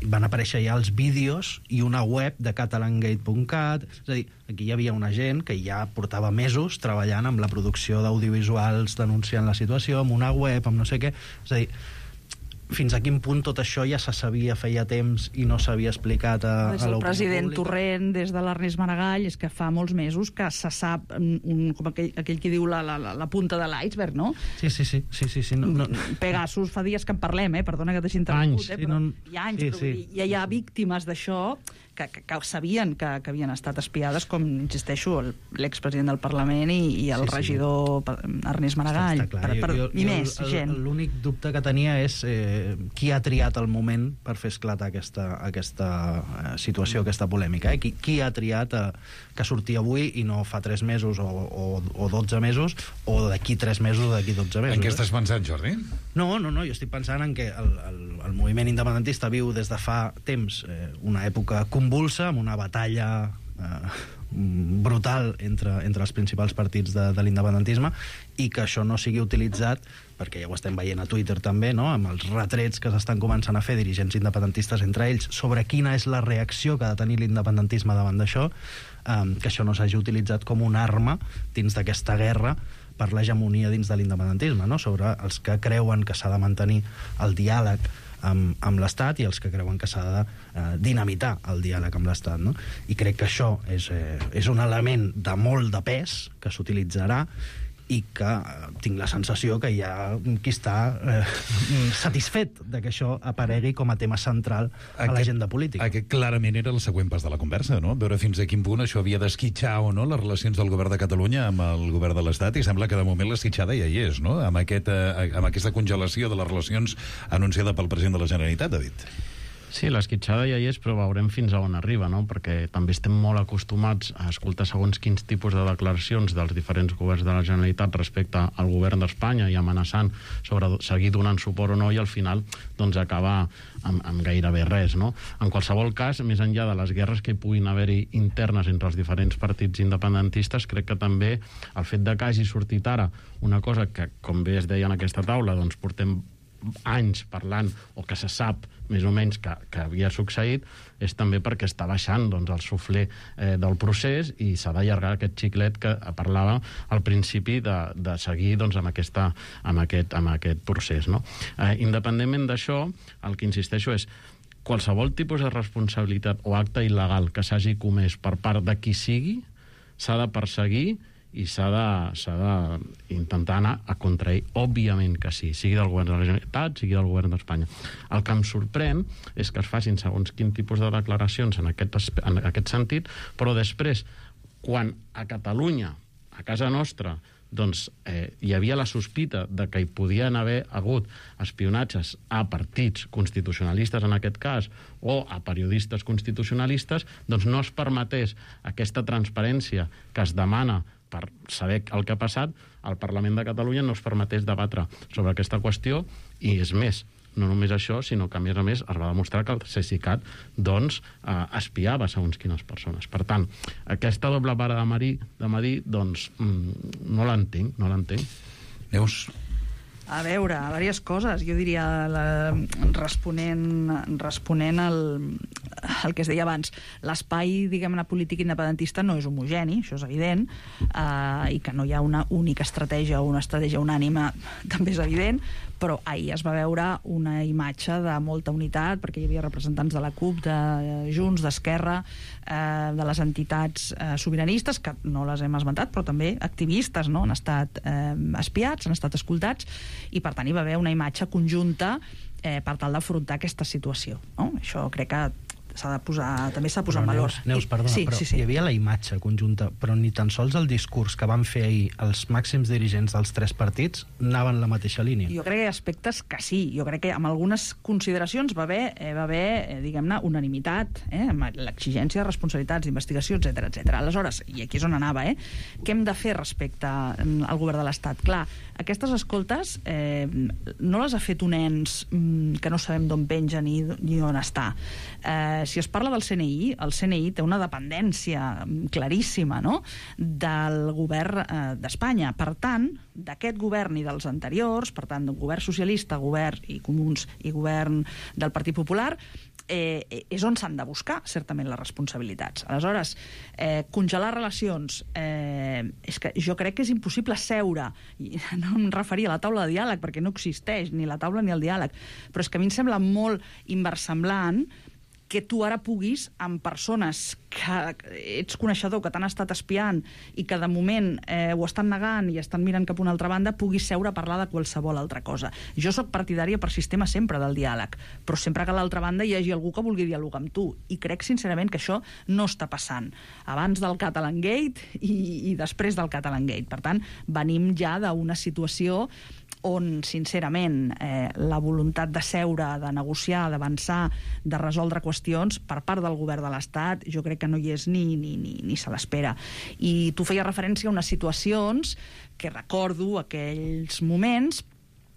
van aparèixer ja els vídeos i una web de catalangate punt cat, és a dir, aquí hi havia una gent que ja portava mesos treballant amb la producció d'audiovisuals, denunciant la situació, amb una web, amb no sé què, és a dir, fins a quin punt tot això ja se sabia feia temps i no s'havia explicat a, des a del l'opinió president pública. Torrent, des de l'Ernest Maragall, és que fa molts mesos que se sap, un, com aquell, aquell que diu la, la, la punta de l'iceberg, no? Sí, sí, sí, sí, sí, sí no, no. Pegasus, fa dies que en parlem, eh? Perdona que t'hagi interromput, Anys, eh? sí, Però no... hi ha anys, sí, però sí. ja hi ha víctimes d'això que, que, que sabien que, que havien estat espiades, com, insisteixo, l'expresident del Parlament i, i el Sí, sí. regidor Ernest Maragall. Està, està clar. Per, per, jo, jo, I més, el, gent. L'únic dubte que tenia és eh, qui ha triat el moment per fer esclatar aquesta, aquesta eh, situació, aquesta polèmica. Eh? Qui, qui ha triat eh, que sortia avui i no fa tres mesos o, o, o dotze mesos o d'aquí tres mesos o d'aquí dotze mesos. En què eh? estàs pensant, Jordi? No, no, no, jo estic pensant en que el, el, el moviment independentista viu des de fa temps eh, una època convulsa, amb una batalla eh, brutal entre, entre els principals partits de, de l'independentisme, i que això no sigui utilitzat, perquè ja ho estem veient a Twitter també, no? Amb els retrets que s'estan començant a fer dirigents independentistes entre ells sobre quina és la reacció que ha de tenir l'independentisme davant d'això, eh, que això no s'hagi utilitzat com una arma dins d'aquesta guerra per l'hegemonia dins de l'independentisme, no? Sobre els que creuen que s'ha de mantenir el diàleg amb, amb l'Estat i els que creuen que s'ha de eh, dinamitar el diàleg amb l'Estat, no? I crec que això és, eh, és un element de molt de pes que s'utilitzarà i que eh, tinc la sensació que hi ha qui està eh, satisfet de que això aparegui com a tema central a l'agenda política. Aquest clarament era el següent pas de la conversa, no? Veure fins a quin punt això havia d'esquitxar o no les relacions del govern de Catalunya amb el govern de l'Estat, i sembla que de moment l'esquitxada ja hi és, no? Amb, aquest, eh, amb aquesta congelació de les relacions anunciada pel president de la Generalitat, David. Sí, l'esquitxada ja hi és, però veurem fins a on arriba, no? Perquè també estem molt acostumats a escoltar segons quins tipus de declaracions dels diferents governs de la Generalitat respecte al govern d'Espanya i amenaçant sobre seguir donant suport o no, i al final doncs acabar amb, amb gairebé res, no? En qualsevol cas, més enllà de les guerres que hi puguin haver-hi internes entre els diferents partits independentistes, crec que també el fet de que hagi sortit ara una cosa que, com bé es deia en aquesta taula, doncs portem anys parlant, o que se sap més o menys que, que havia succeït, és també perquè està baixant doncs, el suflé eh, del procés, i s'ha d'allargar aquest xiclet que parlava al principi de, de seguir doncs, amb, aquesta, amb, aquest, amb aquest procés, no? Eh, independentment d'això, el que insisteixo és qualsevol tipus de responsabilitat o acte il·legal que s'hagi comès per part de qui sigui s'ha de perseguir i s'ha d'intentar anar a contra ell. Òbviament que sí, sigui del govern de la Generalitat, sigui del govern d'Espanya. El que em sorprèn és que es facin segons quin tipus de declaracions en aquest, en aquest sentit, però després, quan a Catalunya, a casa nostra, doncs eh, hi havia la sospita de que hi podien haver hagut espionatges a partits constitucionalistes, en aquest cas, o a periodistes constitucionalistes, doncs no es permetés aquesta transparència que es demana per saber el que ha passat, al Parlament de Catalunya no es permetés debatre sobre aquesta qüestió, i és més, no només això, sinó que a més a més es va demostrar que el Cesicat doncs, eh, espiava segons quines persones. Per tant, aquesta doble vara de medir, de medir doncs, mm, no l'entenc, no l'entenc. Neus? A veure, diverses coses. Jo diria, la, responent, responent al, al que es deia abans, l'espai, diguem-ne, polític independentista no és homogeni, això és evident, eh, i que no hi ha una única estratègia o una estratègia unànime també és evident, però ahir es va veure una imatge de molta unitat, perquè hi havia representants de la CUP, de Junts, d'Esquerra, eh, de les entitats eh, sobiranistes, que no les hem esmentat, però també activistes, no? Han estat eh, espiats, han estat escoltats, i per tant hi va haver una imatge conjunta eh, per tal d'afrontar aquesta situació, no? Això crec que s'ha de posar, també s'ha de posar en valor. Neus, Neus, perdona, sí, però sí, sí. hi havia la imatge conjunta, però ni tan sols el discurs que van fer ahir els màxims dirigents dels tres partits anaven en la mateixa línia. Jo crec que hi ha aspectes que sí. Jo crec que amb algunes consideracions va haver, eh, va haver eh, diguem-ne, unanimitat, eh, amb l'exigència de responsabilitats, d'investigació, etcètera, etcètera. Aleshores, i aquí és on anava, eh, què hem de fer respecte al govern de l'Estat? Clar, aquestes escoltes eh, no les ha fet un ens mm, que no sabem d'on penja ni, ni on està. Eh, si es parla del C N I, el C N I té una dependència claríssima, no?, del govern eh, d'Espanya. Per tant, d'aquest govern i dels anteriors, per tant, del govern socialista, govern i comuns i govern del Partit Popular, eh, és on s'han de buscar, certament, les responsabilitats. Aleshores, eh, congelar relacions, eh, és que jo crec que és impossible seure, i no em referia a la taula de diàleg, perquè no existeix ni la taula ni el diàleg, però és que a mi em sembla molt inversemblant que tu ara puguis, amb persones que ets coneixedor, que t'han estat espiant i que de moment eh, ho estan negant i estan mirant cap a una altra banda, puguis seure a parlar de qualsevol altra cosa. Jo sóc partidària per sistema sempre del diàleg, però sempre que a l'altra banda hi hagi algú que vulgui dialogar amb tu, i crec sincerament que això no està passant abans del Catalan Gate i, i després del Catalan Gate. Per tant, venim ja d'una situació on, sincerament, eh, la voluntat de seure, de negociar, d'avançar, de resoldre qüestions per part del govern de l'Estat, jo crec que no hi és ni, ni, ni, ni se l'espera. I tu feies referència a unes situacions que recordo aquells moments,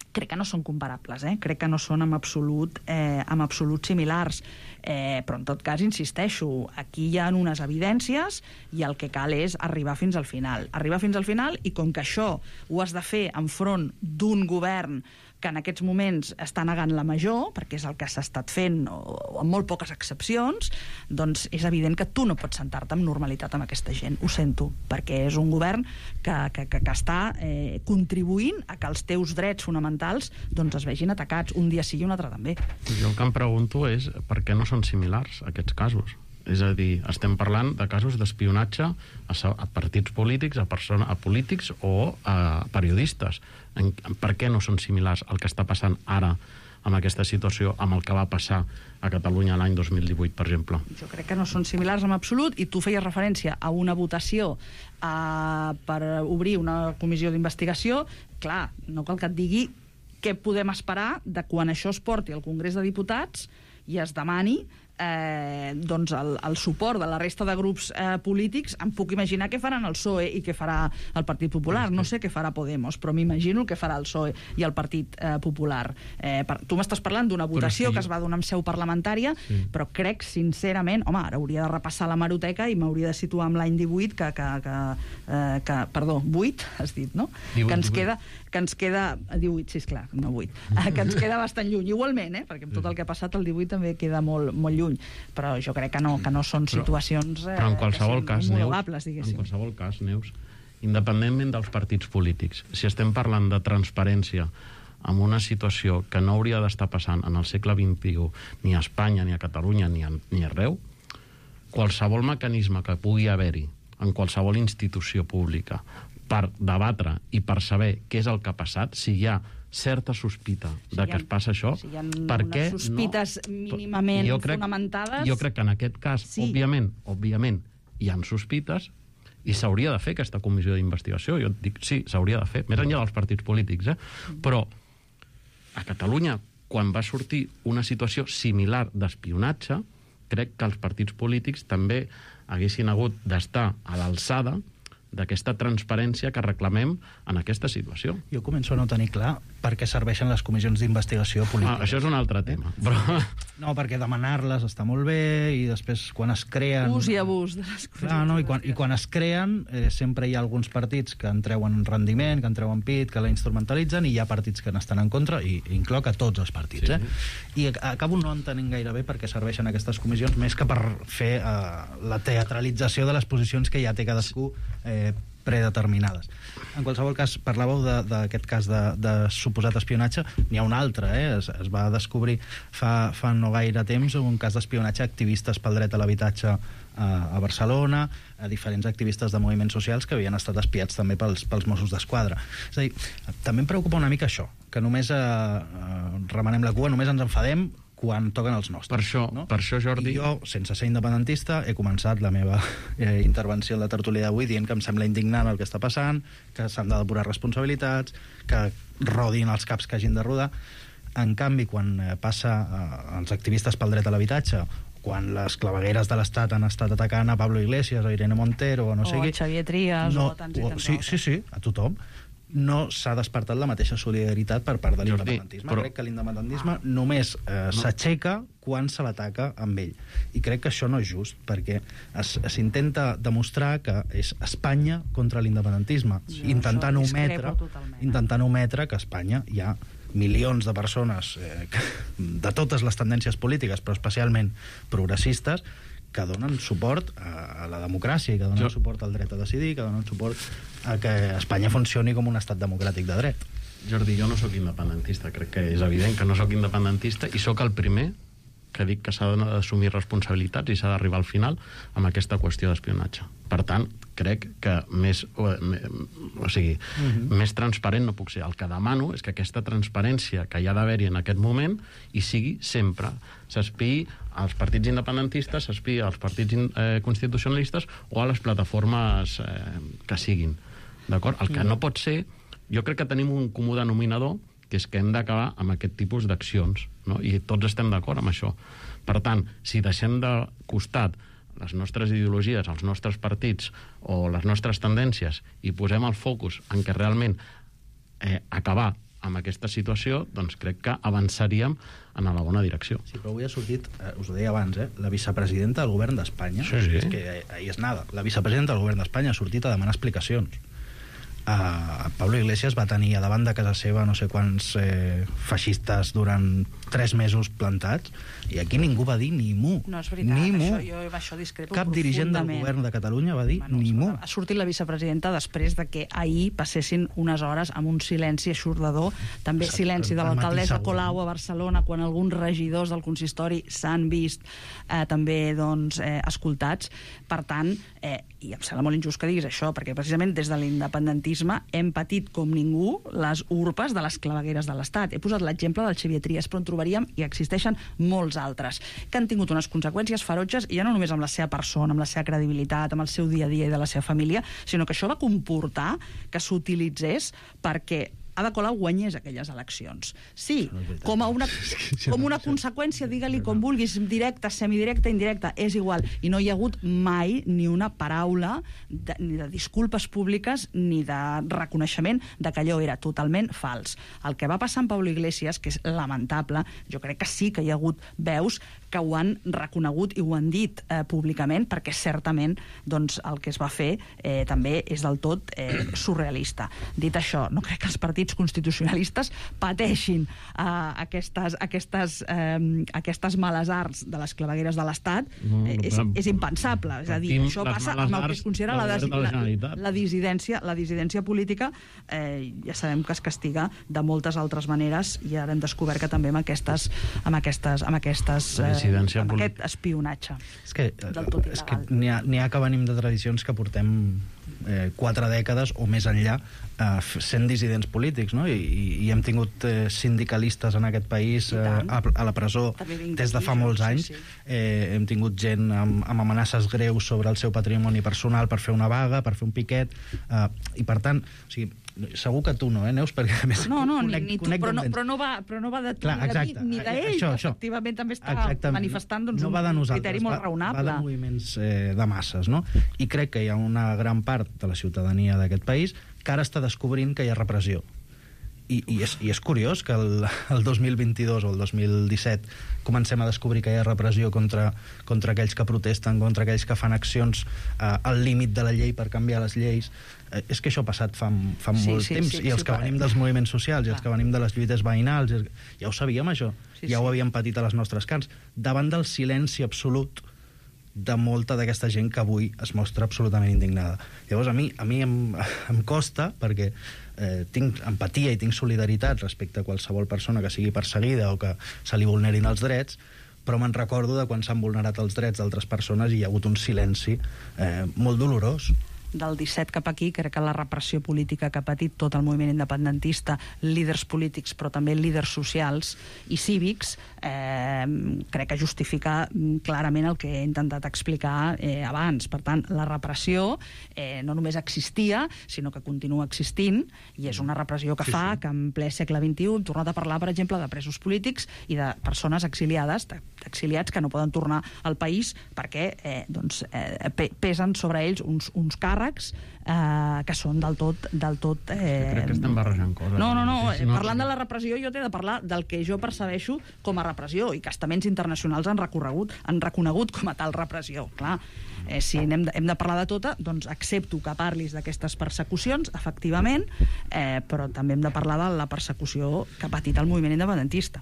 crec que no són comparables, eh? crec que no són en absolut, eh, en absolut similars, eh, però en tot cas, insisteixo, aquí hi ha unes evidències i el que cal és arribar fins al final. Arribar fins al final, i com que això ho has de fer enfront d'un govern que en aquests moments està negant la major, perquè és el que s'ha estat fent, o, o amb molt poques excepcions, doncs és evident que tu no pots sentar-te amb normalitat amb aquesta gent. Ho sento, perquè és un govern que, que, que, que està eh, contribuint a que els teus drets fonamentals doncs, es vegin atacats, un dia sí i un altre també. Jo el que em pregunto és per què no són similars aquests casos. És a dir, estem parlant de casos d'espionatge a, a partits polítics, a, persona, a polítics o a periodistes. En, per què no són similars al que està passant ara amb aquesta situació, amb el que va passar a Catalunya l'any dos mil divuit, per exemple? Jo crec que no són similars en absolut, i tu feies referència a una votació eh, per obrir una comissió d'investigació. Clar, no cal que et digui què podem esperar de quan això es porti al Congrés de Diputats i es demani Eh, doncs el, el suport de la resta de grups eh, polítics. Em puc imaginar què faran el P S O E i què farà el Partit Popular. No sé què farà Podemos, però m'imagino què farà el P S O E i el Partit eh, Popular. Eh, per, tu m'estàs parlant d'una votació que es va donar en seu parlamentària, sí. però crec, sincerament, home, ara hauria de repassar la hemeroteca i m'hauria de situar amb l'any divuit, que, que, que, eh, que perdó, vuit, has dit, no? divuit, que ens divuit. queda que ens queda... divuit, sí, esclar, no vuit. Que ens queda bastant lluny, igualment, eh? Perquè amb tot el que ha passat el divuit també queda molt, molt lluny. Però jo crec que no, que no són situacions eh, però en qualsevol cas, homologables, diguéssim. En qualsevol cas, Neus, independentment dels partits polítics, si estem parlant de transparència en una situació que no hauria d'estar passant en el segle vint-i-u ni a Espanya, ni a Catalunya, ni, a, ni arreu, qualsevol mecanisme que pugui haver-hi en qualsevol institució pública per debatre i per saber què és el que ha passat, si hi ha certa sospita si de que ha, es passa això, si hi ha per què unes sospites no? mínimament jo crec, fonamentades... Jo crec que en aquest cas, sí. òbviament, òbviament, hi ha sospites i s'hauria de fer aquesta comissió d'investigació. Jo dic, sí, s'hauria de fer, més enllà dels partits polítics, eh? Però a Catalunya, quan va sortir una situació similar d'espionatge, crec que els partits polítics també haguessin hagut d'estar a l'alçada d'aquesta transparència que reclamem en aquesta situació. Jo començo a no tenir clar per què serveixen les comissions d'investigació política. Ah, això és un altre tema. Eh? Però... No, perquè demanar-les està molt bé i després quan es creen... Ús i abús de les comissions. Clar, no? I, quan, I quan es creen eh, sempre hi ha alguns partits que en treuen rendiment, que en treuen pit, que la instrumentalitzen, i hi ha partits que n'estan en contra, i incloc a tots els partits. Sí. Eh? I acabo no entenent gaire bé per què serveixen aquestes comissions, més que per fer eh, la teatralització de les posicions que ja té cadascú eh, predeterminades. En qualsevol cas, parlàveu d'aquest cas de, de suposat espionatge. N'hi ha un altre, eh? es, es va descobrir fa, fa no gaire temps un cas d'espionatge a activistes pel dret a l'habitatge a, a Barcelona, a diferents activistes de moviments socials que havien estat espiats també pels, pels Mossos d'Esquadra. És a dir, també em preocupa una mica això, que només eh, eh, remenem la cua, només ens enfadem quan toquen els nostres. Per això, no? per això Jordi... I jo, sense ser independentista, he començat la meva eh, intervenció en la tertúlia d'avui dient que em sembla indignant el que està passant, que s'han de depurar responsabilitats, que rodin els caps que hagin de rodar. En canvi, quan eh, passa eh, als activistes pel dret a l'habitatge, quan les clavegueres de l'Estat han estat atacant a Pablo Iglesias, a Irene Montero, o no o sé qui... O Xavier Trias, no, o tants i tants. Sí, sí, sí, a tothom. No s'ha despertat la mateixa solidaritat per part de l'independentisme. però... Crec que l'independentisme només eh, no. s'aixeca quan se l'ataca amb ell. I crec que això no és just, perquè s'intenta demostrar que és Espanya contra l'independentisme, intentant ometre, intentant ometre que a Espanya hi ha milions de persones eh, de totes les tendències polítiques, però especialment progressistes, que donen suport a la democràcia i que donen jo... suport al dret a decidir, que donen suport a que Espanya funcioni com un estat democràtic de dret. Jordi, jo no sóc independentista, crec que és evident que no sóc independentista, i sóc el primer que dic que s'ha d'assumir responsabilitats i s'ha d'arribar al final amb aquesta qüestió d'espionatge. Per tant, crec que més, o, o sigui, uh-huh. més transparent no puc ser. El que demano és que aquesta transparència que hi ha d'haver-hi en aquest moment hi sigui sempre. S'espiï als partits independentistes, s'espiï als partits eh, constitucionalistes o a les plataformes eh, que siguin. D'acord? El que no pot ser... Jo crec que tenim un comú denominador, que és que hem d'acabar amb aquest tipus d'accions, no? I tots estem d'acord amb això. Per tant, si deixem de costat les nostres ideologies, els nostres partits o les nostres tendències i posem el focus en què realment eh, acabar amb aquesta situació, doncs crec que avançaríem en la bona direcció. Sí, però avui ha sortit, eh, us ho deia abans, eh, la vicepresidenta del govern d'Espanya, sí, sí. és que ahí és nada, la vicepresidenta del govern d'Espanya ha sortit a demanar explicacions. Uh, Pablo Iglesias va tenir a davant de casa seva no sé quants eh, feixistes durant tres mesos plantats, i aquí ningú va dir ni mu. No, és veritat, ni mu. Això, jo això discrepo Cap dirigent del govern de Catalunya va dir bueno, ni mu. Ha sortit la vicepresidenta després de que ahir passessin unes hores amb un silenci aixordador, també Exacte, silenci de l'alcaldessa Colau a Barcelona, quan alguns regidors del consistori s'han vist eh, també doncs, eh, escoltats. Per tant, eh, i em sembla molt injust que diguis això, perquè precisament des de l'independentisme hem patit com ningú les urpes de les clavegueres de l'Estat. He posat l'exemple del Xavier Trias, però en trobaríem, i existeixen molts altres, que han tingut unes conseqüències ferotges, i ja no només amb la seva persona, amb la seva credibilitat, amb el seu dia a dia i de la seva família, sinó que això va comportar que s'utilitzés perquè Ada Colau guanyés aquelles eleccions. Sí, com, a una, com una conseqüència, digue-li com vulguis, directa, semidirecta, indirecta, és igual. I no hi ha hagut mai ni una paraula de, ni de disculpes públiques ni de reconeixement de que allò era totalment fals. El que va passar amb Pablo Iglesias, que és lamentable, jo crec que sí que hi ha hagut veus que ho han reconegut i ho han dit eh, públicament, perquè certament doncs, el que es va fer eh, també és del tot eh, surrealista. Dit això, no crec que els partits constitucionalistes pateixin eh, aquestes, aquestes, eh, aquestes males arts de les clavegueres de l'Estat. No, eh, és, és impensable. És a dir, això passa amb el que es considera la, des, la, la, dissidència, la dissidència política. Eh, ja sabem que es castiga de moltes altres maneres, i ara hem descobert que també amb aquestes, amb aquestes, amb aquestes eh, amb aquest espionatge. És que, és que n'hi ha, n'hi ha que venim de tradicions que portem eh, quatre dècades o més enllà eh, sent dissidents polítics, no? I, i hem tingut eh, sindicalistes en aquest país eh, a, a la presó des de fa molts anys. Sí, sí. Eh, hem tingut gent amb, amb amenaces greus sobre el seu patrimoni personal per fer una vaga, per fer un piquet, eh, i per tant, o sigui, segur que tu no, eh, Neus? Perquè, a més, no, no, conec, ni, ni tu, però no, però, no va, però no va de tu, Clar, ni, exacte, de mi, ni d'ell, això, que això. efectivament també està Exactament. manifestant doncs, no va de un nosaltres, criteri molt va, raonable. Va de moviments eh, de masses, no? I crec que hi ha una gran part de la ciutadania d'aquest país que ara està descobrint que hi ha repressió. I, i, és, i és curiós que el, el dos mil vint-i-dos o el dos mil disset comencem a descobrir que hi ha repressió contra, contra aquells que protesten, contra aquells que fan accions eh, al límit de la llei per canviar les lleis. Eh, és que això ha passat fa, fa Sí, molt sí, temps, sí, i els sí, que ho venim farem. dels moviments socials i els que venim de les lluites veïnals, ja ho sabíem, això. Sí, ja sí. ho havíem patit a les nostres carns. Davant del silenci absolut de molta d'aquesta gent que avui es mostra absolutament indignada. Llavors, a mi, a mi em, em costa, perquè eh, tinc empatia i tinc solidaritat respecte a qualsevol persona que sigui perseguida o que se li vulnerin els drets, però me'n recordo de quan s'han vulnerat els drets d'altres persones i hi ha hagut un silenci eh, molt dolorós. Del disset cap aquí, crec que la repressió política que ha patit tot el moviment independentista, líders polítics, però també líders socials i cívics, eh, crec que justifica clarament el que he intentat explicar eh, abans. Per tant, la repressió eh, no només existia, sinó que continua existint, i és una repressió que Sí, fa sí. que en ple segle vint-i-u hem tornat a parlar, per exemple, de presos polítics i de persones exiliades, d'exiliats que no poden tornar al país perquè eh, doncs, eh, pesen sobre ells uns, uns càrrecs eh, que són del tot... Del tot eh... Crec que estem barrejant coses. No, no, no, Sí, sí, no, parlant sí. de la repressió jo t'he de parlar del que jo percebeixo com a repressió, i que estaments internacionals han recorregut, han reconegut com a tal repressió. Clar, eh, si hem de, hem de parlar de tota, doncs accepto que parlis d'aquestes persecucions, efectivament, eh, però també hem de parlar de la persecució que ha patit el moviment independentista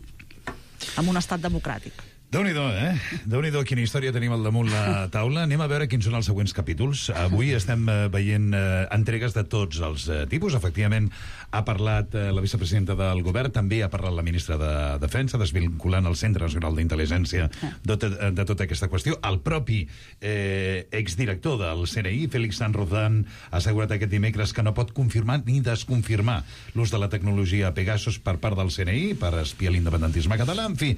en un estat democràtic. Déu-n'hi-do, eh? Déu-n'hi-do, quina història tenim al damunt la taula. Anem a veure quins són els següents capítols. Avui estem eh, veient eh, entregues de tots els eh, tipus. Efectivament, ha parlat eh, la vicepresidenta del govern, també ha parlat la ministra de Defensa, desvinculant el Centre Nacional d'Intel·ligència de, de, de tota aquesta qüestió. El propi eh, exdirector del C N I, Félix Sanz Rozán, ha assegurat aquest dimecres que no pot confirmar ni desconfirmar l'ús de la tecnologia Pegasus per part del C N I per espiar l'independentisme català. En fi,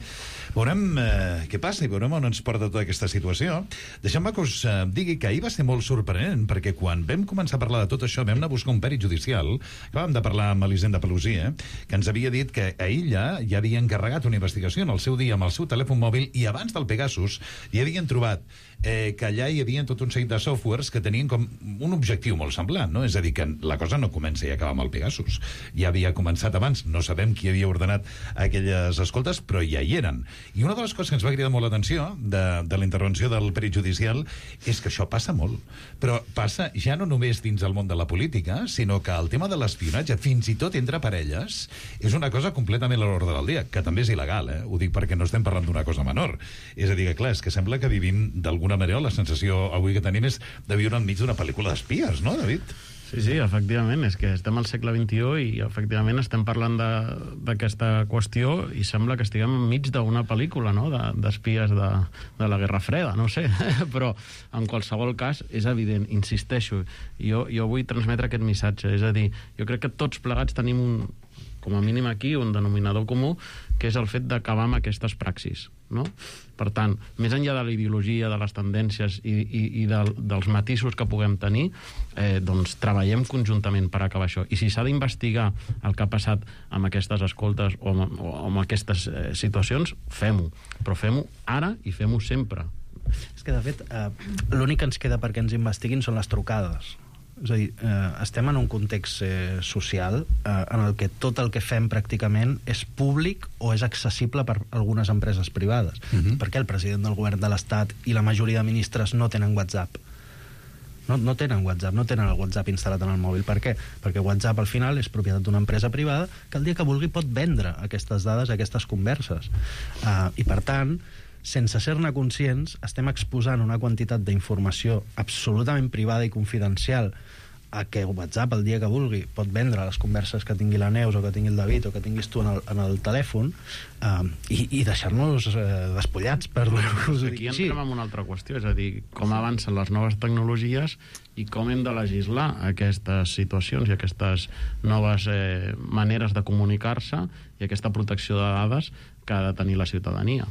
veurem eh, què passa i veurem on ens porta tota aquesta situació. Deixem-me que us eh, digui que ahir va ser molt sorprenent, perquè quan vam començar a parlar de tot això vam anar a buscar un pèrit judicial. Acabàvem de parlar amb Elisenda Pelusia, que ens havia dit que a ella ja havia encarregat una investigació en el seu dia amb el seu telèfon mòbil, i abans del Pegasus hi havien trobat eh, que allà hi havia tot un seguit de softwares que tenien com un objectiu molt semblant, no? És a dir, que la cosa no comença i acaba amb el Pegasus. Ja havia començat abans, no sabem qui havia ordenat aquelles escoltes, però ja hi eren. I una de les coses que ens va cridar molt l'atenció de, de la intervenció del perit judicial és que això passa molt. Però passa ja no només dins el món de la política, sinó que el tema de l'espionatge, fins i tot entre parelles, és una cosa completament a l'ordre del dia, que també és il·legal, eh? Ho dic perquè no estem parlant d'una cosa menor. És a dir, que clar, és que sembla que vivim d'alguna manera, la sensació avui que tenim és de viure enmig d'una pel·lícula d'espies, no, David? Sí, sí, efectivament, és que estem al segle vint-i-u i efectivament estem parlant d'aquesta de, qüestió i sembla que estiguem enmig d'una pel·lícula, no?, d'espies de, de la Guerra Freda, no sé, però en qualsevol cas és evident, insisteixo, jo, jo vull transmetre aquest missatge, és a dir, jo crec que tots plegats tenim un, com a mínim aquí, un denominador comú, que és el fet d'acabar amb aquestes praxis, no? Per tant, més enllà de la ideologia, de les tendències i, i, i de, dels matisos que puguem tenir, eh, doncs treballem conjuntament per acabar això. I si s'ha d'investigar el que ha passat amb aquestes escoltes o amb, o amb aquestes eh, situacions, fem-ho. Però fem-ho ara i fem-ho sempre. És que, de fet, eh, l'únic que ens queda perquè ens investiguin són les trucades. És a dir, eh, estem en un context eh, social eh, en el que tot el que fem pràcticament és públic o és accessible per algunes empreses privades. Uh-huh. Perquè el president del govern de l'Estat i la majoria de ministres no tenen WhatsApp. No, no tenen WhatsApp, no tenen el WhatsApp instal·lat en el mòbil. Per què? Perquè WhatsApp al final és propietat d'una empresa privada que el dia que vulgui pot vendre aquestes dades, aquestes converses. Uh, I per tant, sense ser-ne conscients, estem exposant una quantitat d'informació absolutament privada i confidencial a que WhatsApp, el dia que vulgui, pot vendre les converses que tingui la Neus o que tingui el David o que tinguis tu en el, en el telèfon eh, i, i deixar-nos eh, despullats, per dir-nos Aquí entrem en una altra qüestió, és a dir, com avancen les noves tecnologies i com hem de legislar aquestes situacions i aquestes noves eh, maneres de comunicar-se i aquesta protecció de dades que ha de tenir la ciutadania.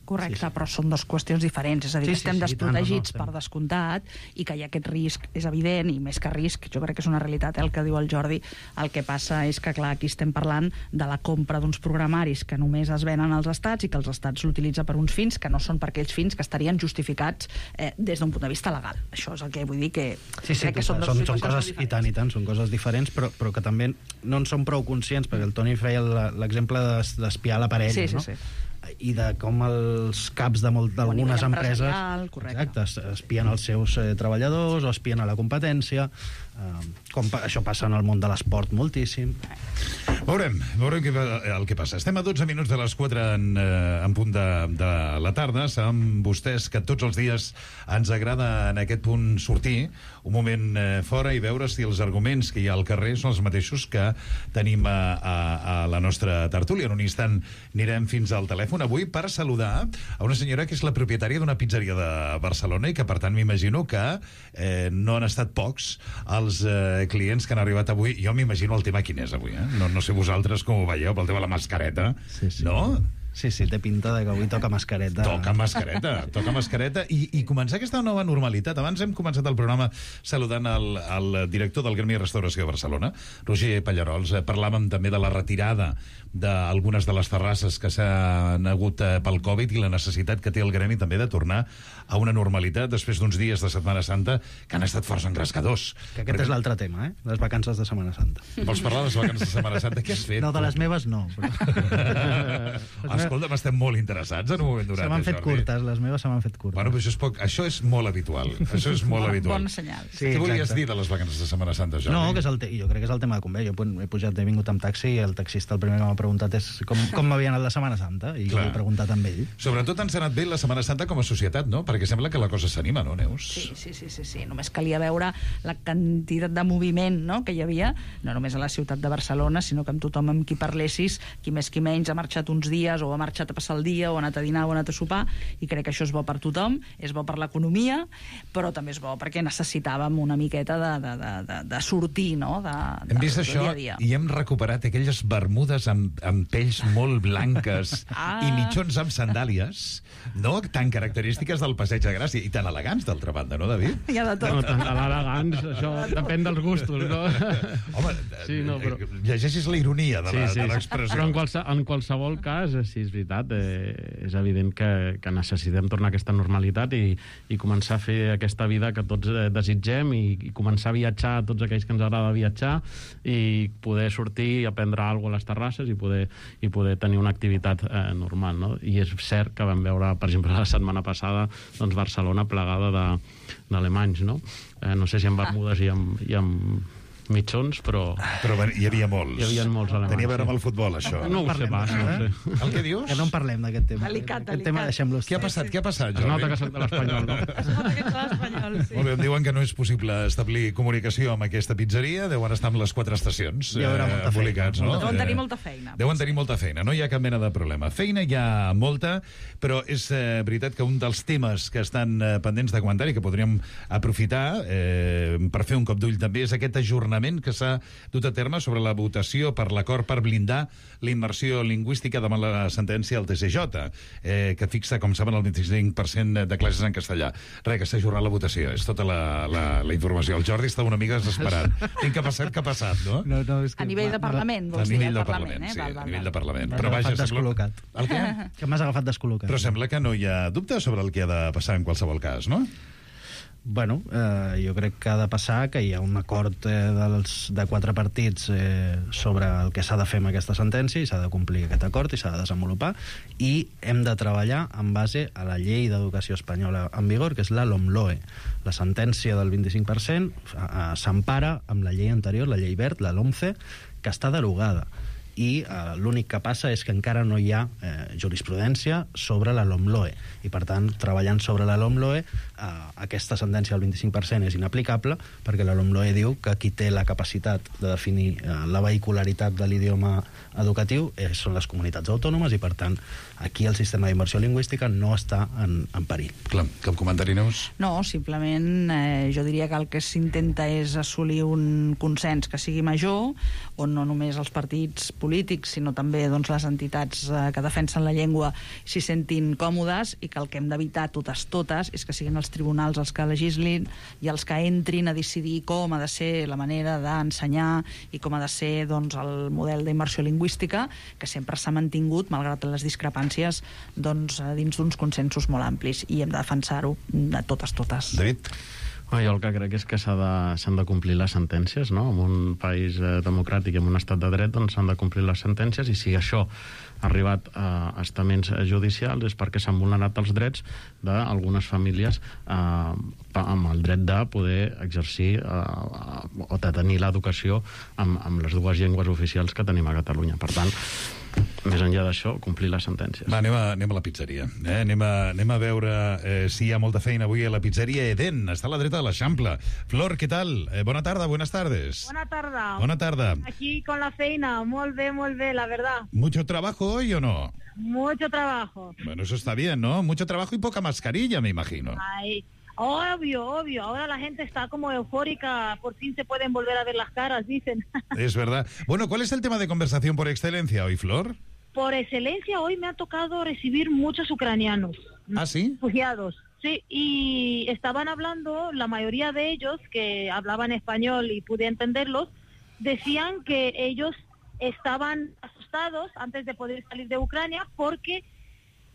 Correcte, sí, sí. Però són dues qüestions diferents, és a dir, sí, que estem sí, sí, desprotegits tant, no, no, per descomptat i que hi ha aquest risc, és evident, i més que risc, jo crec que és una realitat, eh, el que diu el Jordi. El que passa és que, clar, aquí estem parlant de la compra d'uns programaris que només es venen als estats i que els estats l'utilitzen per uns fins que no són per aquells fins que estarien justificats eh, des d'un punt de vista legal. Això és el que vull dir que... Sí, sí, crec que són, són, són coses, i tant, i tant, són coses diferents, però, però que també no en són prou conscients, perquè el Toni feia l'exemple d'espiar la parella, sí, sí, no? Sí. I de com els caps d'algunes empreses exacte, espien els seus eh, treballadors o espien a la competència, eh, com pa això passa en el món de l'esport moltíssim. Veurem, veurem que, el que passa. Estem a dotze minuts de les quatre en, eh, en punt de, de la tarda. Saben vostès que tots els dies ens agrada en aquest punt sortir un moment eh, fora i veure si els arguments que hi ha al carrer són els mateixos que tenim a, a, a la nostra tertúlia. En un instant anirem fins al telèfon avui per saludar a una senyora que és la propietària d'una pizzeria de Barcelona i que, per tant, m'imagino que eh, no han estat pocs els eh, clients que han arribat avui. Jo m'imagino el tema quin és avui, eh? No, no sé vosaltres com ho veieu, pel tema de la mascareta, sí, sí. No? Sí, sí, té pinta de que avui toca mascareta. Toca mascareta, toca mascareta i, i començar aquesta nova normalitat. Abans hem començat el programa saludant el, el director del Gremi de Restauració de Barcelona, Roger Pallarols. Parlàvem també de la retirada d'algunes de les terrasses que s'han hagut pel Covid i la necessitat que té el Gremi també de tornar a una normalitat després d'uns dies de Setmana Santa que han estat força engrescadors. Que aquest Perquè... és l'altre tema, eh? Les vacances de Setmana Santa. Vols parlar de les vacances de Setmana Santa? Què has fet? No, de les meves no. Però... Escolta, estem molt interessats en un moment donat. Se m'han fet Jordi. curtes, les meves se m'han fet curtes. Bueno, però això és, poc, això és molt habitual. Això és molt habitual. Bon senyal. Sí, Què volies exacte. dir de les vacances de Setmana Santa, Jordi? No, que és el te... jo crec que és el tema de convé. Jo he pujat, he vingut amb taxi i el taxista el primer que m'ha preguntat és com, com m'havia anat la Setmana Santa i Clar. jo he preguntat amb ell. Sobretot ens ha anat bé la Setmana Santa com a societat, no? Perquè sembla que la cosa s'anima, no, Neus? Sí, sí, sí, sí, sí. Només calia veure la quantitat de moviment, no?, que hi havia, no només a la ciutat de Barcelona, sinó que amb tothom amb qui parlessis, qui més qui menys ha marxat uns dies o ha marxat a passar el dia o ha anat a dinar o ha anat a sopar, i crec que això és bo per tothom, és bo per l'economia, però també és bo perquè necessitàvem una miqueta de, de, de, de, de sortir, no?, de, de, hem vist de, això dia a dia. I hem recuperat aquelles bermudes amb, amb pells molt blanques ah. i mitjons amb sandàlies, no?, tan característiques del Passeig de Gràcia i tan elegants, d'altra banda, no, David? Hi ha de tot. No, tan elegants, això depèn dels gustos, no? Home, sí, no, però... llegeixis la ironia de l'expressió. Sí, sí. Però en, qualse, en qualsevol cas, sí, és veritat, eh, és evident que, que necessitem tornar a aquesta normalitat i, i començar a fer aquesta vida que tots eh, desitgem i, i començar a viatjar a tots aquells que ens agrada viatjar i poder sortir i aprendre alguna cosa a les terrasses i poder, i poder tenir una activitat eh, normal, no? I és cert que vam veure, per exemple, la setmana passada doncs Barcelona plegada d'alemanys, no? Eh, no sé si amb bermudes i amb, i amb mitjons, però... Però hi havia molts. Hi havia molts alemanys. Tenia a veure amb el futbol, això. No ho sé pas, no ho sé. El que dius? Que no en parlem d'aquest tema. Delicat, Aquest tema deixem-lo. Què ha passat? Què ha passat, Jordi? Es nota que soc de l'Espanyol, no? Es nota que ets de l'Espanyol, sí. Molt bé, em diuen que no és possible establir comunicació amb aquesta pizzeria, deuen estar amb les quatre estacions hi haurà molta eh, embolicats, no? Deuen tenir molta feina. Deuen tenir molta feina, no hi ha cap mena de problema. Feina hi ha molta, però és eh, veritat que un dels temes que estan eh, pendents de comentar i que podríem aprofitar eh, per fer un cop d'ull també és aquest ajornament que s'ha dut a terme sobre la votació per l'acord per blindar la immersió lingüística davant la sentència del T C J, eh, que fixa, com saben, el vint-i-cinc per cent de classes en castellà. Res, que s'ha ajornat la votació, és tota la, la, la informació. El Jordi està una mica desesperat. Tinc que passar què ha passat, no? no, no és que a nivell de Parlament, vols dir? A nivell de Parlament, Parlament, eh? sí, val, val, a nivell val. de Parlament. M'has Però vaja, agafat descol·locat. El què? Que m'has agafat descol·locat. Però sembla que no hi ha dubte sobre el que ha de passar en qualsevol cas, no? Bueno, eh, jo crec que ha de passar que hi ha un acord eh, dels, de quatre partits eh, sobre el que s'ha de fer amb aquesta sentència i s'ha de complir aquest acord i s'ha de desenvolupar i hem de treballar en base a la llei d'educació espanyola en vigor, que és la LOMLOE. La sentència del vint-i-cinc per cent eh, s'empara amb la llei anterior, la llei Wert, la LOMCE, que està derogada. I eh, l'únic que passa és que encara no hi ha eh, jurisprudència sobre la LOMLOE i per tant treballant sobre la LOMLOE eh, aquesta sentència del vint-i-cinc per cent és inaplicable perquè la LOMLOE diu que qui té la capacitat de definir eh, la vehicularitat de l'idioma educatiu eh, són les comunitats autònomes i per tant aquí el sistema d'immersió lingüística no està en, en perill. Clar, cap comentari, Neus? No, simplement eh, jo diria que el que s'intenta és assolir un consens que sigui major on no només els partits polítics, sinó també doncs, les entitats eh, que defensen la llengua s'hi sentin còmodes, i que el que hem d'evitar totes, totes, és que siguin els tribunals els que legislin i els que entrin a decidir com ha de ser la manera d'ensenyar i com ha de ser doncs, el model d'immersió lingüística, que sempre s'ha mantingut, malgrat les discrepàncies, doncs, dins d'uns consensos molt amplis, i hem de defensar-ho de totes, totes. David? Jo el que crec és que s'han de, s'han de complir les sentències, no? En un país eh, democràtic i en un estat de dret, doncs s'han de complir les sentències, i si això ha arribat a estaments judicials és perquè s'han vulnerat els drets d'algunes famílies eh, amb el dret de poder exercir eh, o de tenir l'educació amb, amb les dues llengües oficials que tenim a Catalunya. Per tant, més enllà d'això, complir les sentències. Va, anem a, anem a la pizzeria. Eh? Anem, a, anem a veure eh, si hi ha molta feina avui a la pizzeria Eden. Està a la dreta de l'Eixample. Flor, què tal? Eh, bona tarda, buenas tardes. Bona tarda. Bona tarda. Aquí con la feina. Molt bé, molt bé, la verdad. ¿Mucho trabajo hoy o no? Mucho trabajo. Bueno, eso está bien, ¿no? Mucho trabajo y poca mascarilla, me imagino. Ay, obvio, obvio. Ahora la gente está como eufórica. Por fin se pueden volver a ver las caras, dicen. Es verdad. Bueno, ¿cuál es el tema de conversación por excelencia hoy, Flor? Por excelencia, hoy me ha tocado recibir muchos ucranianos. ¿Ah, sí? Refugiados. Sí, y estaban hablando, la mayoría de ellos, que hablaban español y pude entenderlos, decían que ellos estaban asustados antes de poder salir de Ucrania porque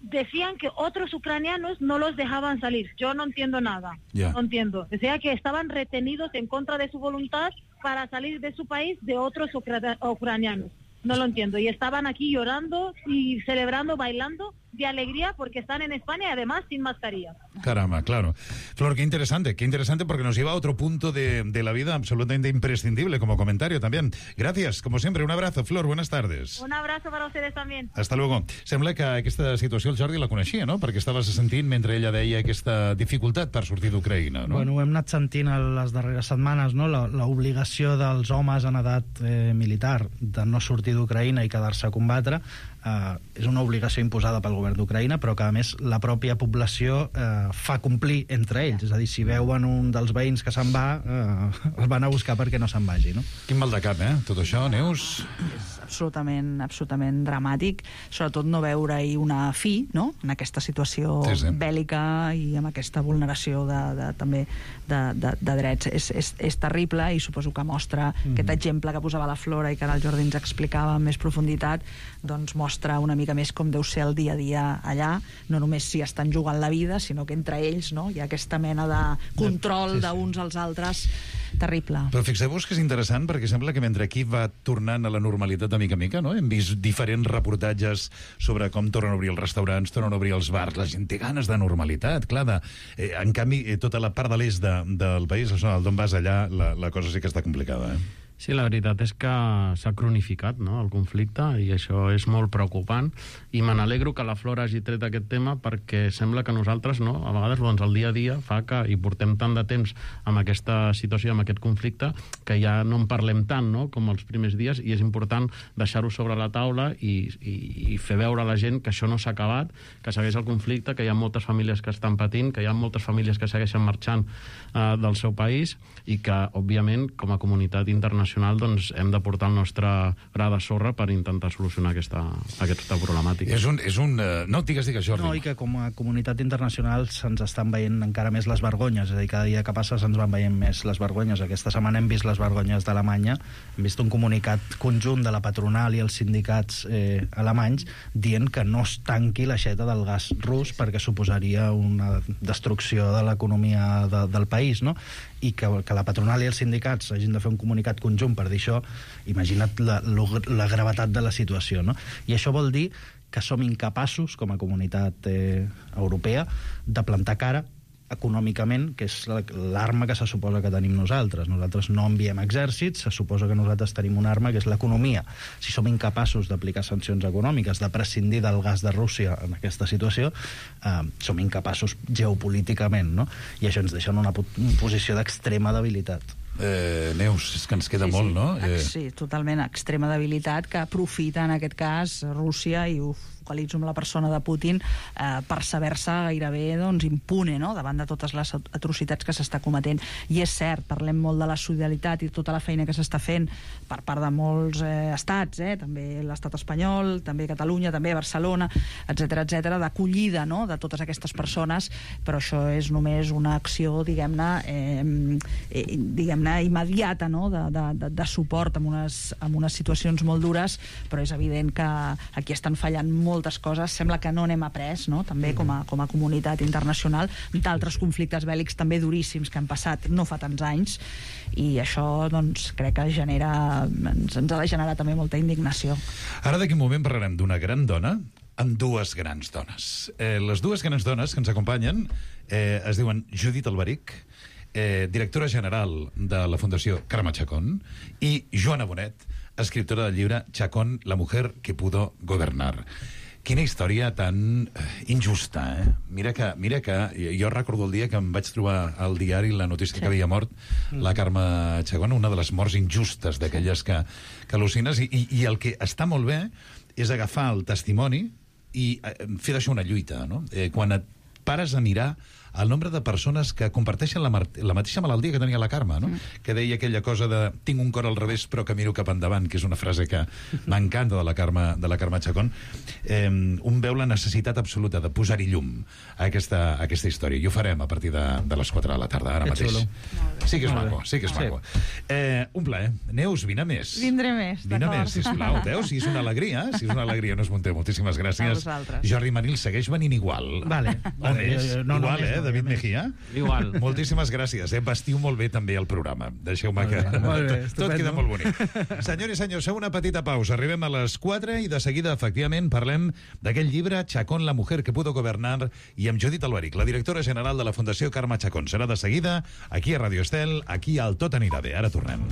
decían que otros ucranianos no los dejaban salir. Yo no entiendo nada, yeah. no entiendo. Decía que estaban retenidos en contra de su voluntad para salir de su país de otros ucra- ucranianos. No lo entiendo. Y estaban aquí llorando y celebrando, bailando de alegría porque están en España y además sin mascarilla. Caramba, claro. Flor, qué interesante, qué interesante porque nos lleva a otro punto de, de la vida absolutamente imprescindible como comentario también. Gracias, como siempre, un abrazo. Flor, buenas tardes. Un abrazo para ustedes también. Hasta luego. Sembla que aquesta situació el Jordi la coneixia, no? Perquè estaves sentint mentre ella deia aquesta dificultat per sortir d'Ucraïna, no? Bueno, ho hem anat sentint a les darreres setmanes, no? L'obligació dels homes en edat eh, militar de no sortir d'Ucraïna i quedar-se a combatre eh, és una obligació imposada pel govern d'Ucraïna, però que a més la pròpia població eh, fa complir entre ells, és a dir, si veuen un dels veïns que se'n va, eh, el van a buscar perquè no se'n vagi, no? Quin mal de cap, eh? Tot això, Neus? És absolutament, absolutament dramàtic, sobretot no veure-hi una fi, no?, en aquesta situació sí, sí. bèl·lica i amb aquesta vulneració de, de, també de, de, de drets. És, és, és terrible i suposo que mostra mm-hmm. aquest exemple que posava la Flora i que ara el Jordi ens explicava amb més profunditat, doncs mostra una mica més com deu ser el dia a dia allà, no només si estan jugant la vida, sinó que entre ells, no?, hi ha aquesta mena de control sí, sí. d'uns als altres terrible. Però fixeu-vos que és interessant perquè sembla que mentre aquí va tornant a la normalitat de mica a mica, no? Hem vist diferents reportatges sobre com tornen a obrir els restaurants, tornen a obrir els bars, la gent té ganes de normalitat, clar, de, eh, en canvi, eh, tota la part de l'est de, del país, la zona d'on vas allà, la, la cosa sí que està complicada, eh? Sí, la veritat és que s'ha cronificat, no?, el conflicte, i això és molt preocupant, i me n'alegro que la Flora hagi tret aquest tema perquè sembla que nosaltres, no?, a vegades doncs, el dia a dia fa que hi portem tant de temps amb aquesta situació, amb aquest conflicte, que ja no en parlem tant, no?, com els primers dies, i és important deixar-ho sobre la taula i, i, i fer veure a la gent que això no s'ha acabat, que segueix el conflicte, que hi ha moltes famílies que estan patint, que hi ha moltes famílies que segueixen marxant eh, del seu país, i que, òbviament, com a comunitat internacional doncs hem de portar el nostre gra de sorra per intentar solucionar aquesta, aquesta problemàtica. És un... És un uh... No, digues, digues, Jordi. No, i que com a comunitat internacional se'ns estan veient encara més les vergonyes, és a dir, cada dia que passa se'ns van veient més les vergonyes. Aquesta setmana hem vist les vergonyes d'Alemanya, hem vist un comunicat conjunt de la patronal i els sindicats eh, alemanys dient que no es tanqui l'aixeta del gas rus perquè suposaria una destrucció de l'economia de, del país, no? I que, que la patronal i els sindicats hagin de fer un comunicat conjunt per dir això, imagina't la, la gravetat de la situació, no? I això vol dir que som incapaços, com a comunitat eh, europea, de plantar cara econòmicament, que és l'arma que se suposa que tenim nosaltres. Nosaltres no enviem exèrcits, se suposa que nosaltres tenim una arma que és l'economia. Si som incapaços d'aplicar sancions econòmiques, de prescindir del gas de Rússia en aquesta situació, eh, som incapaços geopolíticament, no? I això ens deixa en una posició d'extrema debilitat. Eh, Neus, és que ens queda sí, molt, sí. no? Eh... Sí, totalment, extrema debilitat que aprofita en aquest cas Rússia i ho focalitzo en la persona de Putin, eh, per saber-se gairebé doncs, impune, no?, davant de totes les atrocitats que s'està cometent. I és cert, parlem molt de la solidaritat i tota la feina que s'està fent per part de molts eh, estats, eh, també l'estat espanyol, també Catalunya, també Barcelona, etcètera, etcètera, d'acollida, no?, de totes aquestes persones, però això és només una acció, diguem-ne, eh, eh, diguem-ne, immediata, no?, de, de, de suport en unes, en unes situacions molt dures, però és evident que aquí estan fallant moltes coses. Sembla que no n'hem après, no?, també com a, com a comunitat internacional, d'altres conflictes bèl·lics també duríssims que han passat no fa tants anys, i això, doncs, crec que genera, ens, ens ha de generar també molta indignació. Ara d'aquí un moment parlarem d'una gran dona amb dues grans dones. Eh, les dues grans dones que ens acompanyen eh, es diuen Judit Alberic, eh, directora general de la Fundació Carme Chacón, i Joana Bonet, escriptora del llibre Chacón, la mujer que pudo gobernar. Quina història tan injusta, eh? Mira que, mira que jo recordo el dia que em vaig trobar al diari la notícia sí. que havia mort la Carme Chacón, una de les morts injustes d'aquelles que, que al·lucines, i, i, i el que està molt bé és agafar el testimoni i fer d'això una lluita, no? Eh, quan et pares a mirar el nombre de persones que comparteixen la, la mateixa malaltia que tenia la Carme, no? Mm. Que deia aquella cosa de tinc un cor al revés però que miro cap endavant, que és una frase que m'encanta de la Carme, de la Carme Chacón. Eh, un veu la necessitat absoluta de posar-hi llum a aquesta, a aquesta història. I ho farem a partir de, de les quatre de la tarda, ara que mateix. Xulo. Sí que és maco, sí que és maco. Sí. Eh, un plaer. Neus, vine més. Vindré més, Vine més, sisplau. Veus? Si és una alegria, si és una alegria, no es munteu. Moltíssimes gràcies. Jordi Manil segueix venint igual. Vale. O més. No, igual, eh, David Mejía? Igual. Moltíssimes gràcies, eh? Vestiu molt bé també el programa. Deixeu-me que... Molt bé, tot, tot queda molt bonic. Senyors i senyors, feu una petita pausa. Arribem a les quatre i de seguida, efectivament, parlem d'aquell llibre Chacón, la mujer que pudo gobernar, i amb Judit Alberic, la directora general de la Fundació Carme Chacón. Serà de seguida, aquí a Radio Estel, aquí al Tot anirà bé. Ara tornem.